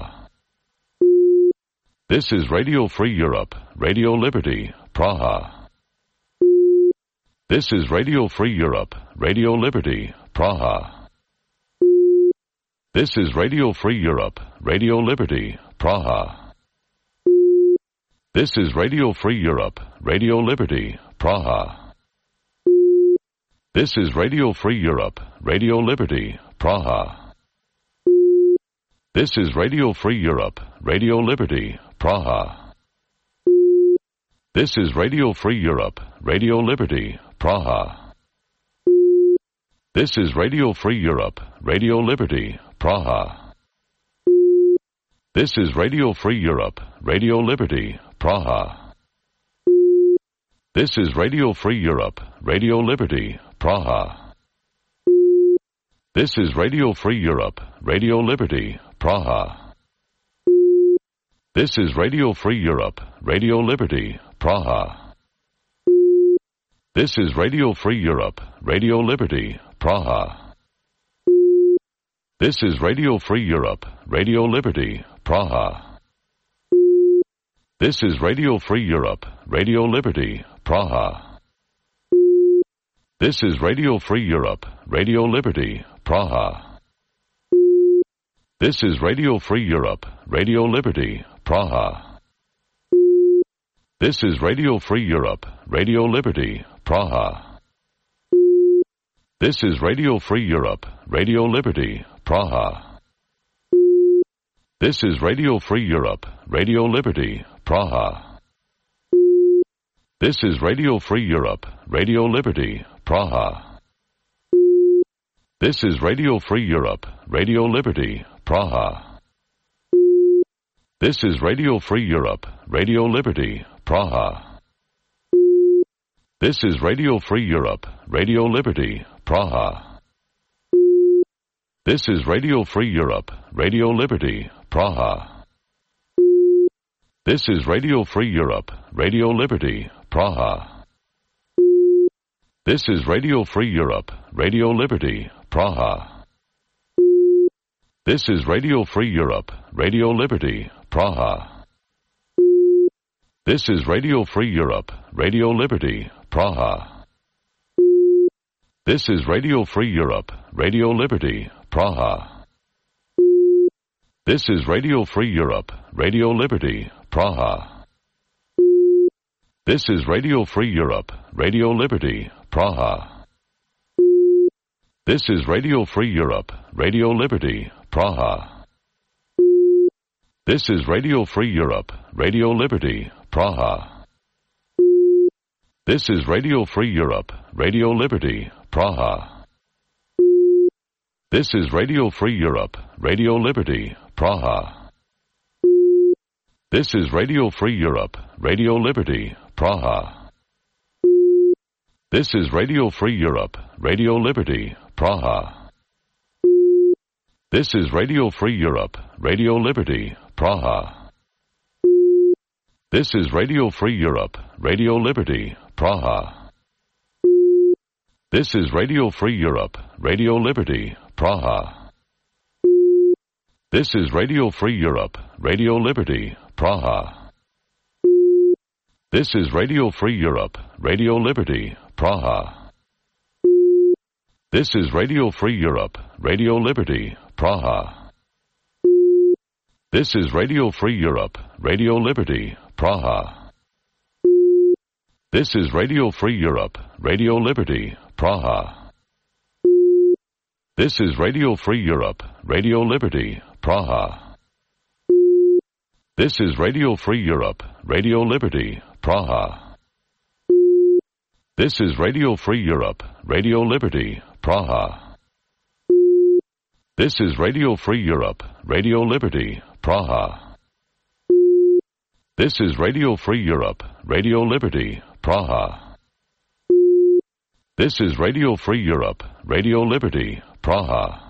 This is Radio Free Europe, Radio Liberty, Praha. This is Radio Free Europe, Radio Liberty, Praha. This is Radio Free Europe, Radio Liberty, Praha. This is Radio Free Europe, Radio Liberty, Praha. This is Radio Free Europe, Radio Liberty, Praha. This is Radio Free Europe, Radio Liberty, Praha. This is Radio Free Europe, Radio Liberty, Praha. This is Radio Free Europe, Radio Liberty, Praha. This is Radio Free Europe, Radio Liberty, Praha. This is Radio Free Europe, Radio Liberty, Praha. This is Radio Free Europe, Radio Liberty, Praha. This is Radio Free Europe, Radio Liberty, Praha. This is Radio Free Europe, Radio Liberty, Praha. This is Radio Free Europe, Radio Liberty, Praha. This is Radio Free Europe, Radio Liberty, Praha. This is Radio Free Europe, Radio Liberty, Praha. This is Radio Free Europe, Radio Liberty, Praha. This is Radio Free Europe, Radio Liberty, Praha. This is Radio Free Europe, Radio Liberty, Praha. This is Radio Free Europe, Radio Liberty, Praha. This is Radio Free Europe, Radio Liberty, Praha. This is Radio Free Europe, Radio Liberty, Praha. This is Radio Free Europe, Radio Liberty, Praha. This is Radio Free Europe, Radio Liberty, Praha. This is Radio Free Europe, Radio Liberty, Praha. This is Radio Free Europe, Radio Liberty, Praha. This is Radio Free Europe, Radio Liberty, Praha. This is Radio Free Europe, Radio Liberty, Praha. This is Radio Free Europe, Radio Liberty, Praha. This is Radio Free Europe, Radio Liberty, Praha. This is Radio Free Europe, Radio Liberty, Praha. This is Radio Free Europe, Radio Liberty, Praha. This is Radio Free Europe, Radio Liberty, Praha. This is Radio Free Europe, Radio Liberty, Praha. This is Radio Free Europe, Radio Liberty, Praha. This is Radio Free Europe, Radio Liberty, Praha. This is Radio Free Europe, Radio Liberty, Praha. This is Radio Free Europe, Radio Liberty, Praha. This is Radio Free Europe, Radio Liberty, Praha. This is Radio Free Europe, Radio Liberty, Praha. This is Radio Free Europe, Radio Liberty, Praha. This is Radio Free Europe, Radio Liberty, Praha. This is Radio Free Europe, Radio Liberty, Praha. This is Radio Free Europe, Radio Liberty, Praha. This is Radio Free Europe, Radio Liberty, Praha. This is Radio Free Europe, Radio Liberty, Praha. This is Radio Free Europe, Radio Liberty, Praha. This is Radio Free Europe, Radio Liberty, Praha. This is Radio Free Europe, Radio Liberty, Praha. This is Radio Free Europe, Radio Liberty, Praha. This is Radio Free Europe, Radio Liberty, Praha. This is Radio Free Europe, Radio Liberty, Praha. This is Radio Free Europe, Radio Liberty, Praha.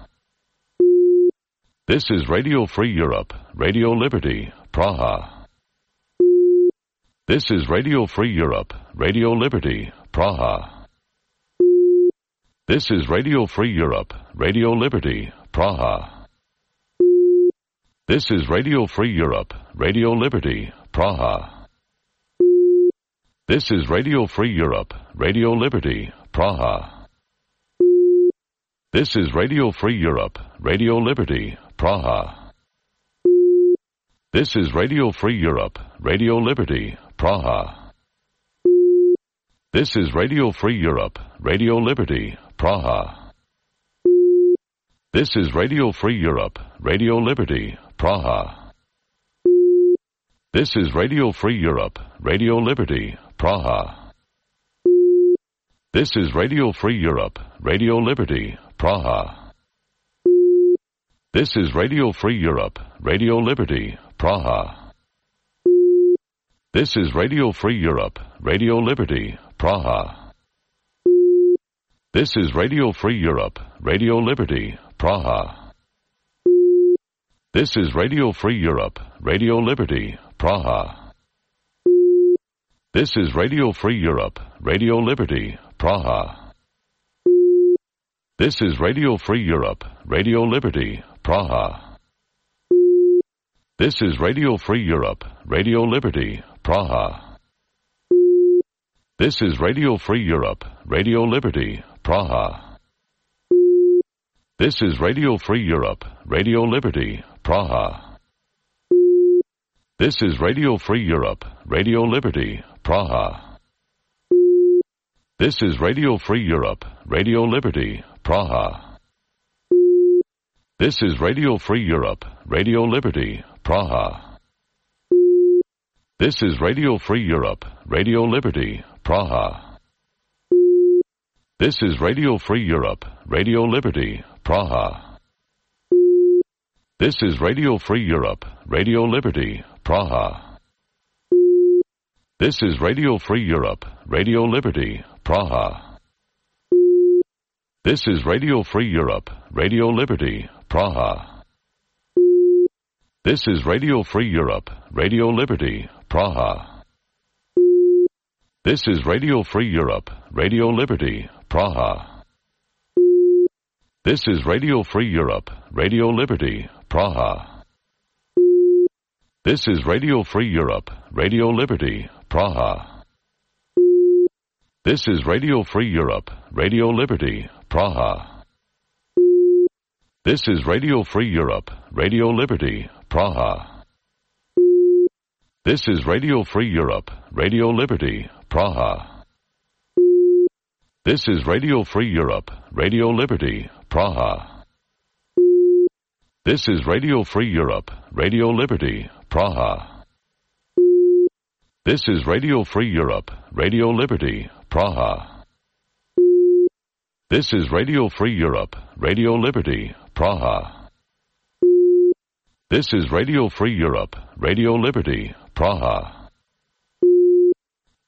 This is Radio Free Europe, Radio Liberty, Praha. This is Radio Free Europe, Radio Liberty, Praha. This is Radio Free Europe, Radio Liberty, Praha. This is Radio Free Europe, Radio Liberty, Praha. This is Radio Free Europe, Radio Liberty, Praha. This is Radio Free Europe, Radio Liberty, Praha. This is Radio Free Europe, Radio Liberty, Praha. This is Radio Free Europe, Radio Liberty, Praha. This is Radio Free Europe, Radio Liberty, Praha. This is Radio Free Europe, Radio Liberty, Praha. This is Radio Free Europe, Radio Liberty, Praha. This is Radio Free Europe, Radio Liberty, Praha. This is Radio Free Europe, Radio Liberty, Praha. This is Radio Free Europe, Radio Liberty, Praha. This is Radio Free Europe, Radio Liberty, Praha. This is Radio Free Europe, Radio Liberty, Praha. This is Radio Free Europe, Radio Liberty, Praha. This is Radio Free Europe, Radio Liberty, Praha. This is Radio Free Europe, Radio Liberty, Praha. This is Radio Free Europe, Radio Liberty, Praha. This is Radio Free Europe, Radio Liberty, Praha. This is Radio Free Europe, Radio Liberty, Praha. This is Radio Free Europe, Radio Liberty, Praha. This is Radio Free Europe, Radio Liberty, Praha. This is Radio Free Europe, Radio Liberty, Praha. This is Radio Free Europe, Radio Liberty, Praha. This is Radio Free Europe, Radio Liberty, Praha. This is Radio Free Europe, Radio Liberty, Praha. This is Radio Free Europe, Radio Liberty, Praha. This is Radio Free Europe, Radio Liberty, Praha. This is Radio Free Europe, Radio Liberty, Praha. This is Radio Free Europe, Radio Liberty, Praha. This is Radio Free Europe, Radio Liberty, Praha. This is Radio Free Europe, Radio Liberty, Praha. This is Radio Free Europe, Radio Liberty, Praha. This is Radio Free Europe, Radio Liberty, Praha. This is Radio Free Europe, Radio Liberty, Praha. This is Radio Free Europe, Radio Liberty, Praha. This is Radio Free Europe, Radio Liberty, Praha. This is Radio Free Europe, Radio Liberty, Praha.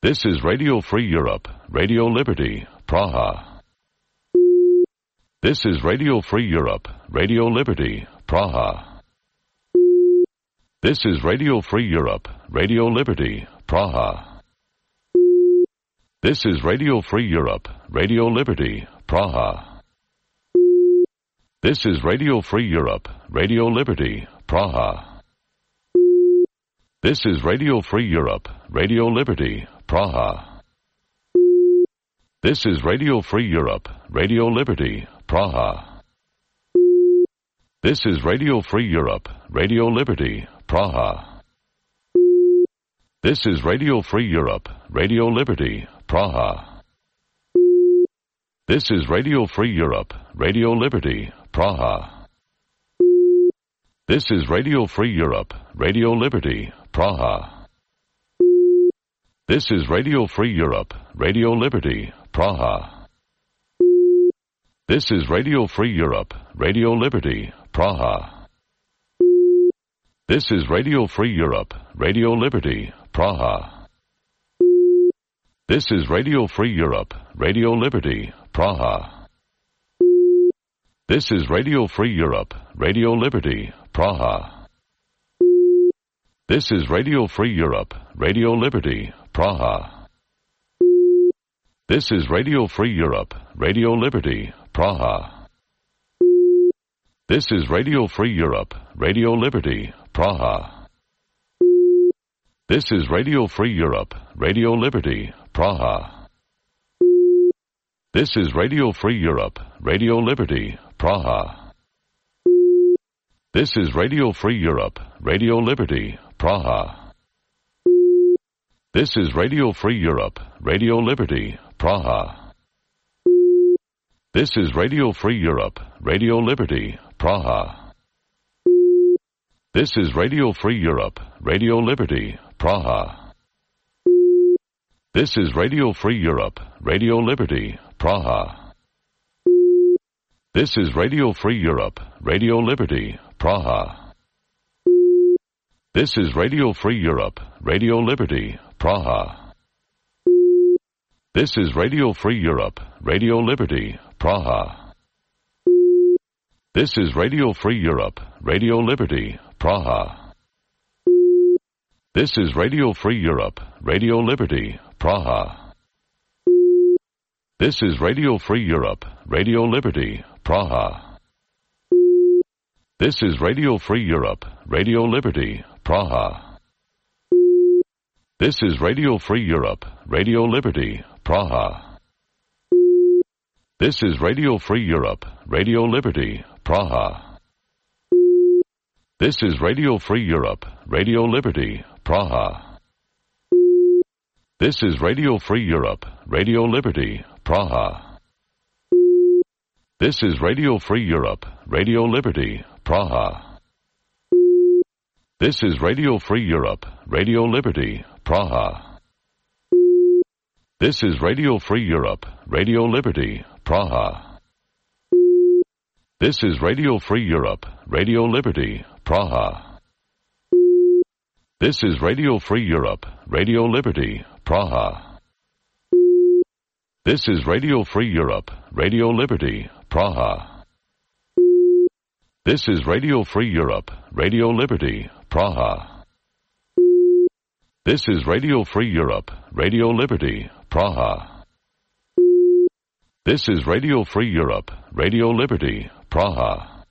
This is Radio Free Europe, Radio Liberty, Praha. This is Radio Free Europe, Radio Liberty, Praha. This is Radio Free Europe, Radio Liberty, Praha. This is Radio Free Europe, Radio Liberty, Praha. This is Radio Free Europe, Radio Liberty, Praha. This is Radio Free Europe, Radio Liberty, Praha. This is Radio Free Europe, Radio Liberty, Praha. This is Radio Free Europe, Radio Liberty, Praha. This is Radio Free Europe, Radio Liberty, Praha. This is Radio Free Europe, Radio Liberty, Praha. This is Radio Free Europe, Radio Liberty, Praha. This is Radio Free Europe, Radio Liberty, Praha. This is Radio Free Europe, Radio Liberty, Praha. This is Radio Free Europe, Radio Liberty, Praha. This is Radio Free Europe, Radio Liberty, Praha. This is Radio Free Europe, Radio Liberty, Praha. This is Radio Free Europe, Radio Liberty, Praha. This is Radio Free Europe, Radio Liberty, Praha. This is Radio Free Europe, Radio Liberty, Praha. This is Radio Free Europe, Radio Liberty, Praha. This is Radio Free Europe, Radio Liberty, Praha. This is Radio Free Europe, Radio Liberty, Praha. This is Radio Free Europe, Radio Liberty, Praha. This is Radio Free Europe, Radio Liberty, Praha. This is Radio Free Europe, Radio Liberty, Praha. This is Radio Free Europe, Radio Liberty, Praha. This is Radio Free Europe, Radio Liberty, Praha. This is Radio Free Europe, Radio Liberty, Praha. This is Radio Free Europe, Radio Liberty, Praha. This is Radio Free Europe, Radio Liberty, Praha. This is Radio Free Europe, Radio Liberty, Praha. This is Radio Free Europe, Radio Liberty, Praha. This is Radio Free Europe, Radio Liberty, Praha. This is Radio Free Europe, Radio Liberty, Praha. This is Radio Free Europe, Radio Liberty, Praha. This is Radio Free Europe, Radio Liberty, Praha. This is Radio Free Europe, Radio Liberty, Praha. This is Radio Free Europe, Radio Liberty, Praha. This is Radio Free Europe, Radio Liberty, Praha. This is Radio Free Europe, Radio Liberty, Praha. This is Radio Free Europe, Radio Liberty, Praha. This is Radio Free Europe, Radio Liberty, Praha. This is Radio Free Europe, Radio Liberty, Praha. This is Radio Free Europe, Radio Liberty, Praha. This is Radio Free Europe, Radio Liberty, Praha. This is Radio Free Europe, Radio Liberty, Praha.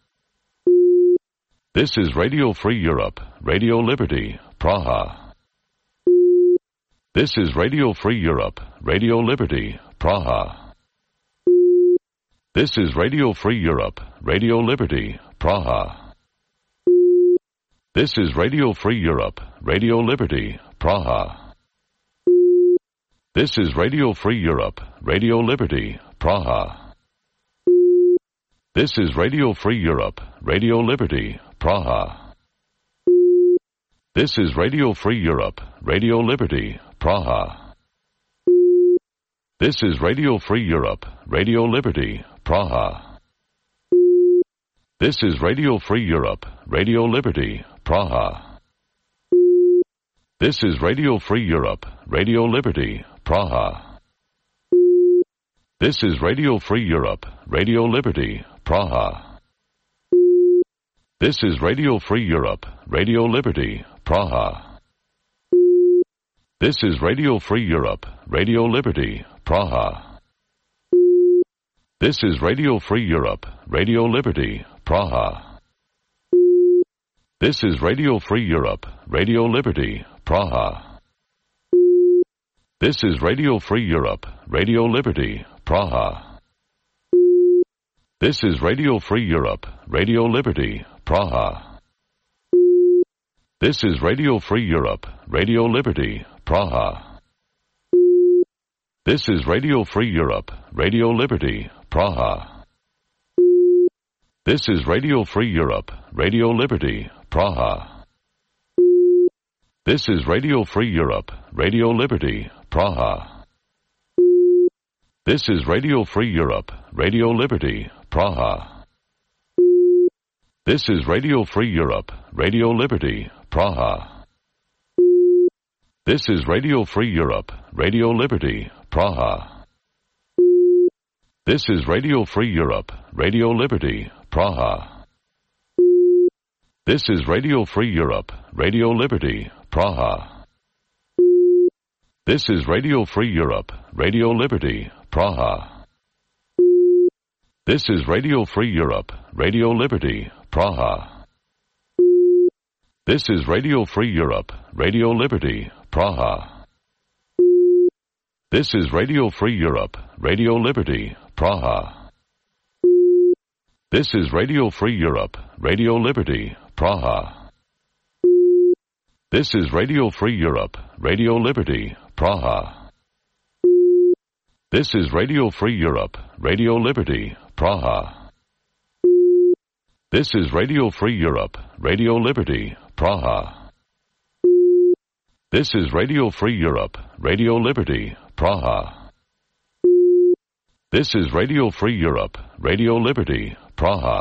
This is Radio Free Europe, Radio Liberty, Praha. This is Radio Free Europe, Radio Liberty, Praha. This is Radio Free Europe, Radio Liberty, Praha. This is Radio Free Europe, Radio Liberty, Praha. This is Radio Free Europe, Radio Liberty, Praha. This is Radio Free Europe, Radio Liberty, Praha. This is Radio Free Europe, Radio Liberty, Praha. This is Radio Free Europe, Radio Liberty, Praha. This is Radio Free Europe, Radio Liberty, Praha. This is Radio Free Europe, Radio Liberty, Praha. This is Radio Free Europe, Radio Liberty, Praha. This is Radio Free Europe, Radio Liberty, Praha. This is Radio Free Europe, Radio Liberty, Praha. This is Radio Free Europe, Radio Liberty, Praha. This is Radio Free Europe, Radio Liberty, Praha. This is Radio Free Europe, Radio Liberty, Praha. This is Radio Free Europe, Radio Liberty, Praha. This is Radio Free Europe, Radio Liberty, Praha. This is Radio Free Europe, Radio Liberty, Praha. This is Radio Free Europe, Radio Liberty, Praha. This is Radio Free Europe, Radio Liberty, Praha. This is Radio Free Europe, Radio Liberty, Praha. This is Radio Free Europe, Radio Liberty, Praha. This is Radio Free Europe, Radio Liberty, Praha. This is Radio Free Europe, Radio Liberty, Praha. This is Radio Free Europe, Radio Liberty, Praha. This is Radio Free Europe, Radio Liberty, Praha. This is Radio Free Europe, Radio Liberty, Praha. This is Radio Free Europe, Radio Liberty, Praha. This is Radio Free Europe, Radio Liberty, Praha. This is Radio Free Europe, Radio Liberty, Praha. This is Radio Free Europe, Radio Liberty, Praha. This is Radio Free Europe, Radio Liberty, Praha. This is Radio Free Europe, Radio Liberty, Praha. This is Radio Free Europe, Radio Liberty, Praha.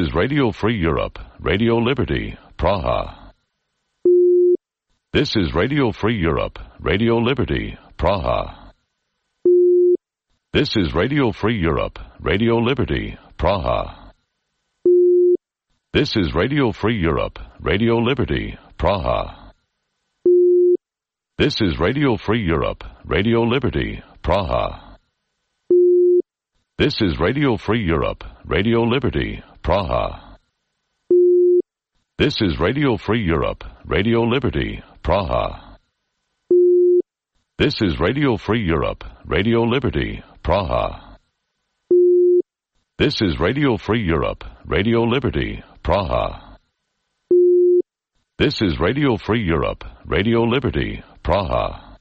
This is Radio Free Europe, Radio Liberty, Praha. This is Radio Free Europe, Radio Liberty, Praha. This is Radio Free Europe, Radio Liberty, Praha. This is Radio Free Europe, Radio Liberty, Praha. This is Radio Free Europe, Radio Liberty, Praha. This is Radio Free Europe, Radio Liberty, Praha. This is Radio Free Europe, Radio Liberty, Praha. This is Radio Free Europe, Radio Liberty, Praha. This is Radio Free Europe, Radio Liberty, Praha. This is Radio Free Europe, Radio Liberty, Praha. This is Radio Free Europe, Radio Liberty, Praha.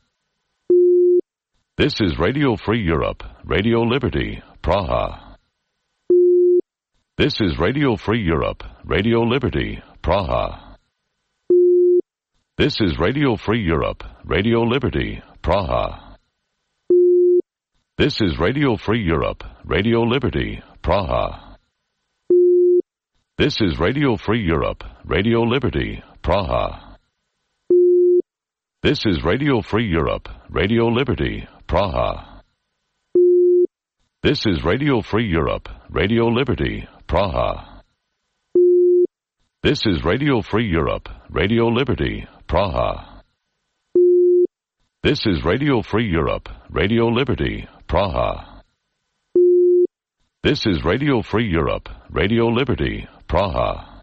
This is Radio Free Europe, Radio Liberty, Praha. This is Radio Free Europe, Radio Liberty, Praha. This is Radio Free Europe, Radio Liberty, Praha. This is Radio Free Europe, Radio Liberty, Praha. This is Radio Free Europe, Radio Liberty, Praha. This is Radio Free Europe, Radio Liberty, Praha. This is Radio Free Europe, Radio Liberty, Praha. This is Radio Free Europe, Radio Liberty, Praha. This is Radio Free Europe, Radio Liberty, Praha. This is Radio Free Europe, Radio Liberty, Praha.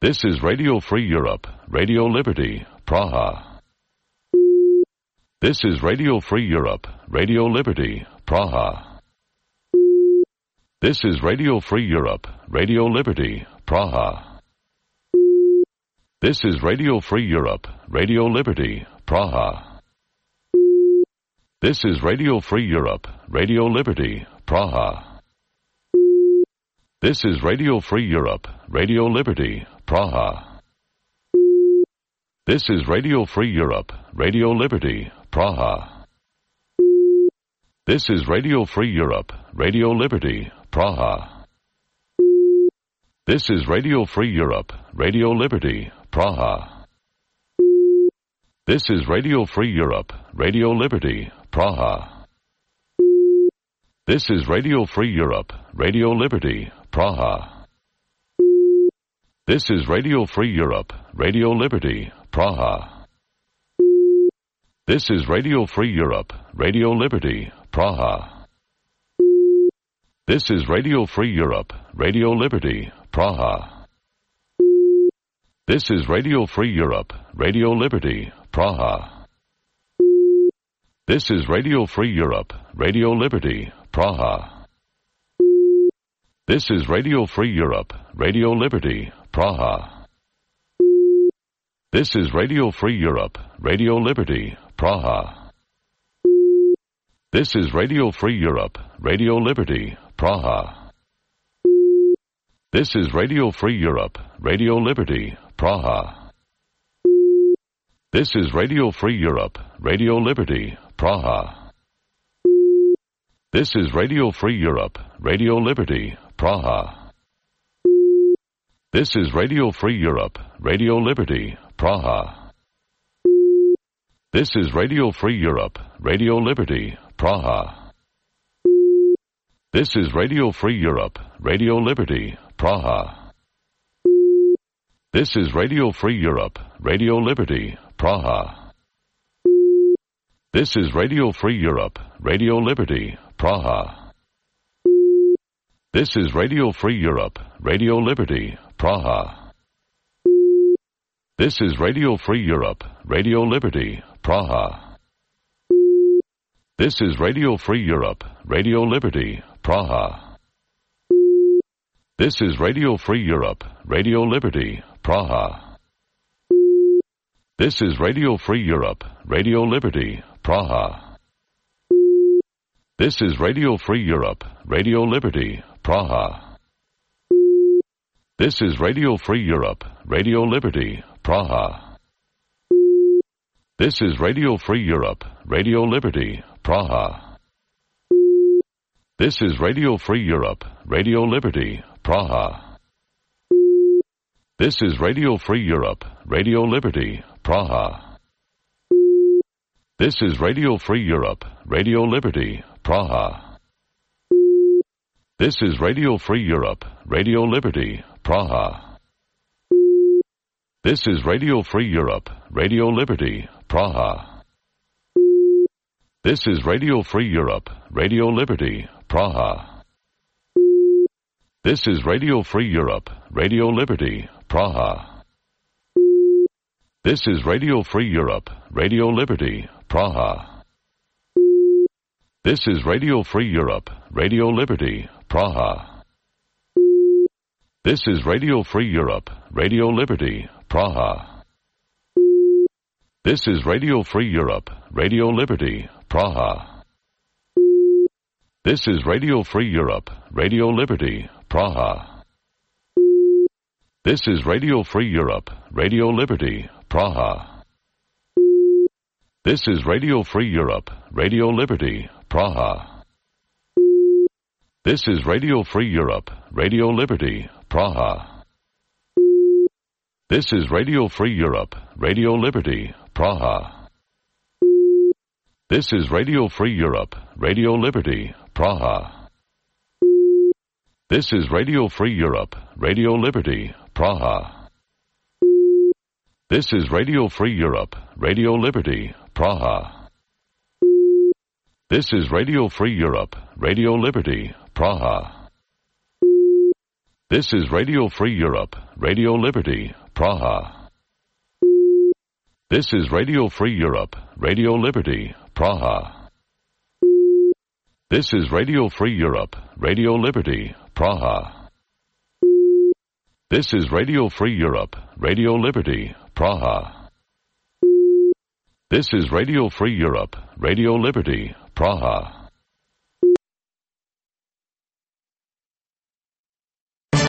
This is Radio Free Europe, Radio Liberty, Praha. This is Radio Free Europe, Radio Liberty, Praha. This is Radio Free Europe, Radio Liberty, Praha. This is Radio Free Europe, Radio Liberty, Praha. This is Radio Free Europe, Radio Liberty, Praha. This is Radio Free Europe, Radio Liberty, Praha. This is Radio Free Europe, Radio Liberty, Praha. This is Radio Free Europe, Radio Liberty, Praha. This is Radio Free Europe, Radio Liberty, Praha. This is Radio Free Europe, Radio Liberty, Praha. This is Radio Free Europe, Radio Liberty, Praha. This is Radio Free Europe, Radio Liberty, Praha. This is Radio Free Europe, Radio Liberty, Praha. This is Radio Free Europe, Radio Liberty, Praha. This is Radio Free Europe, Radio Liberty, Praha. This is Radio Free Europe, Radio Liberty, Praha. This is Radio Free Europe, Radio Liberty, Praha. This is Radio Free Europe, Radio Liberty, Praha. This is Radio Free Europe, Radio Liberty, Praha. This is Radio Free Europe, Radio Liberty, Praha. This is Radio Free Europe, Radio Liberty, Praha. This is Radio Free Europe, Radio Liberty, Praha. This is Radio Free Europe, Radio Liberty, Praha. This is Radio Free Europe, Radio Liberty, Praha. This is Radio Free Europe, Radio Liberty, Praha. This is Radio Free Europe, Radio Liberty, Praha. This is Radio Free Europe, Radio Liberty, Praha. This is Radio Free Europe, Radio Liberty, Praha. This is Radio Free Europe, Radio Liberty, Praha. This is Radio Free Europe, Radio Liberty, Praha. This is Radio Free Europe, Radio Liberty, Praha. This is Radio Free Europe, Radio Liberty, Praha. This is Radio Free Europe, Radio Liberty, Praha. This is Radio Free Europe, Radio Liberty, Praha. This is Radio Free Europe, Radio Liberty, Praha. This is Radio Free Europe, Radio Liberty, Praha. This is Radio Free Europe, Radio Liberty, Praha. This is Radio Free Europe, Radio Liberty, Praha. This is Radio Free Europe, Radio Liberty, Praha. This is Radio Free Europe, Radio Liberty, Praha. This is Radio Free Europe, Radio Liberty, Praha. This is Radio Free Europe, Radio Liberty, Praha. This is Radio Free Europe, Radio Liberty, Praha. This is Radio Free Europe, Radio Liberty, Praha. This is Radio Free Europe, Radio Liberty, Praha. This is Radio Free Europe, Radio Liberty, Praha. This is Radio Free Europe, Radio Liberty, Praha. This is Radio Free Europe, Radio Liberty, Praha. This is Radio Free Europe, Radio Liberty, Praha. This is Radio Free Europe, Radio Liberty, Praha. This is Radio Free Europe, Radio Liberty, Praha. This is Radio Free Europe, Radio Liberty, Praha. This is Radio Free Europe, Radio Liberty, Praha. This is Radio Free Europe, Radio Liberty, Praha. This is Radio Free Europe, Radio Liberty, Praha. This is Radio Free Europe, Radio Liberty, Praha. This is Radio Free Europe, Radio Liberty, Praha. This is Radio Free Europe, Radio Liberty, Praha. This is Radio Free Europe, Radio Liberty, Praha. This is Radio Free Europe, Radio Liberty, Praha.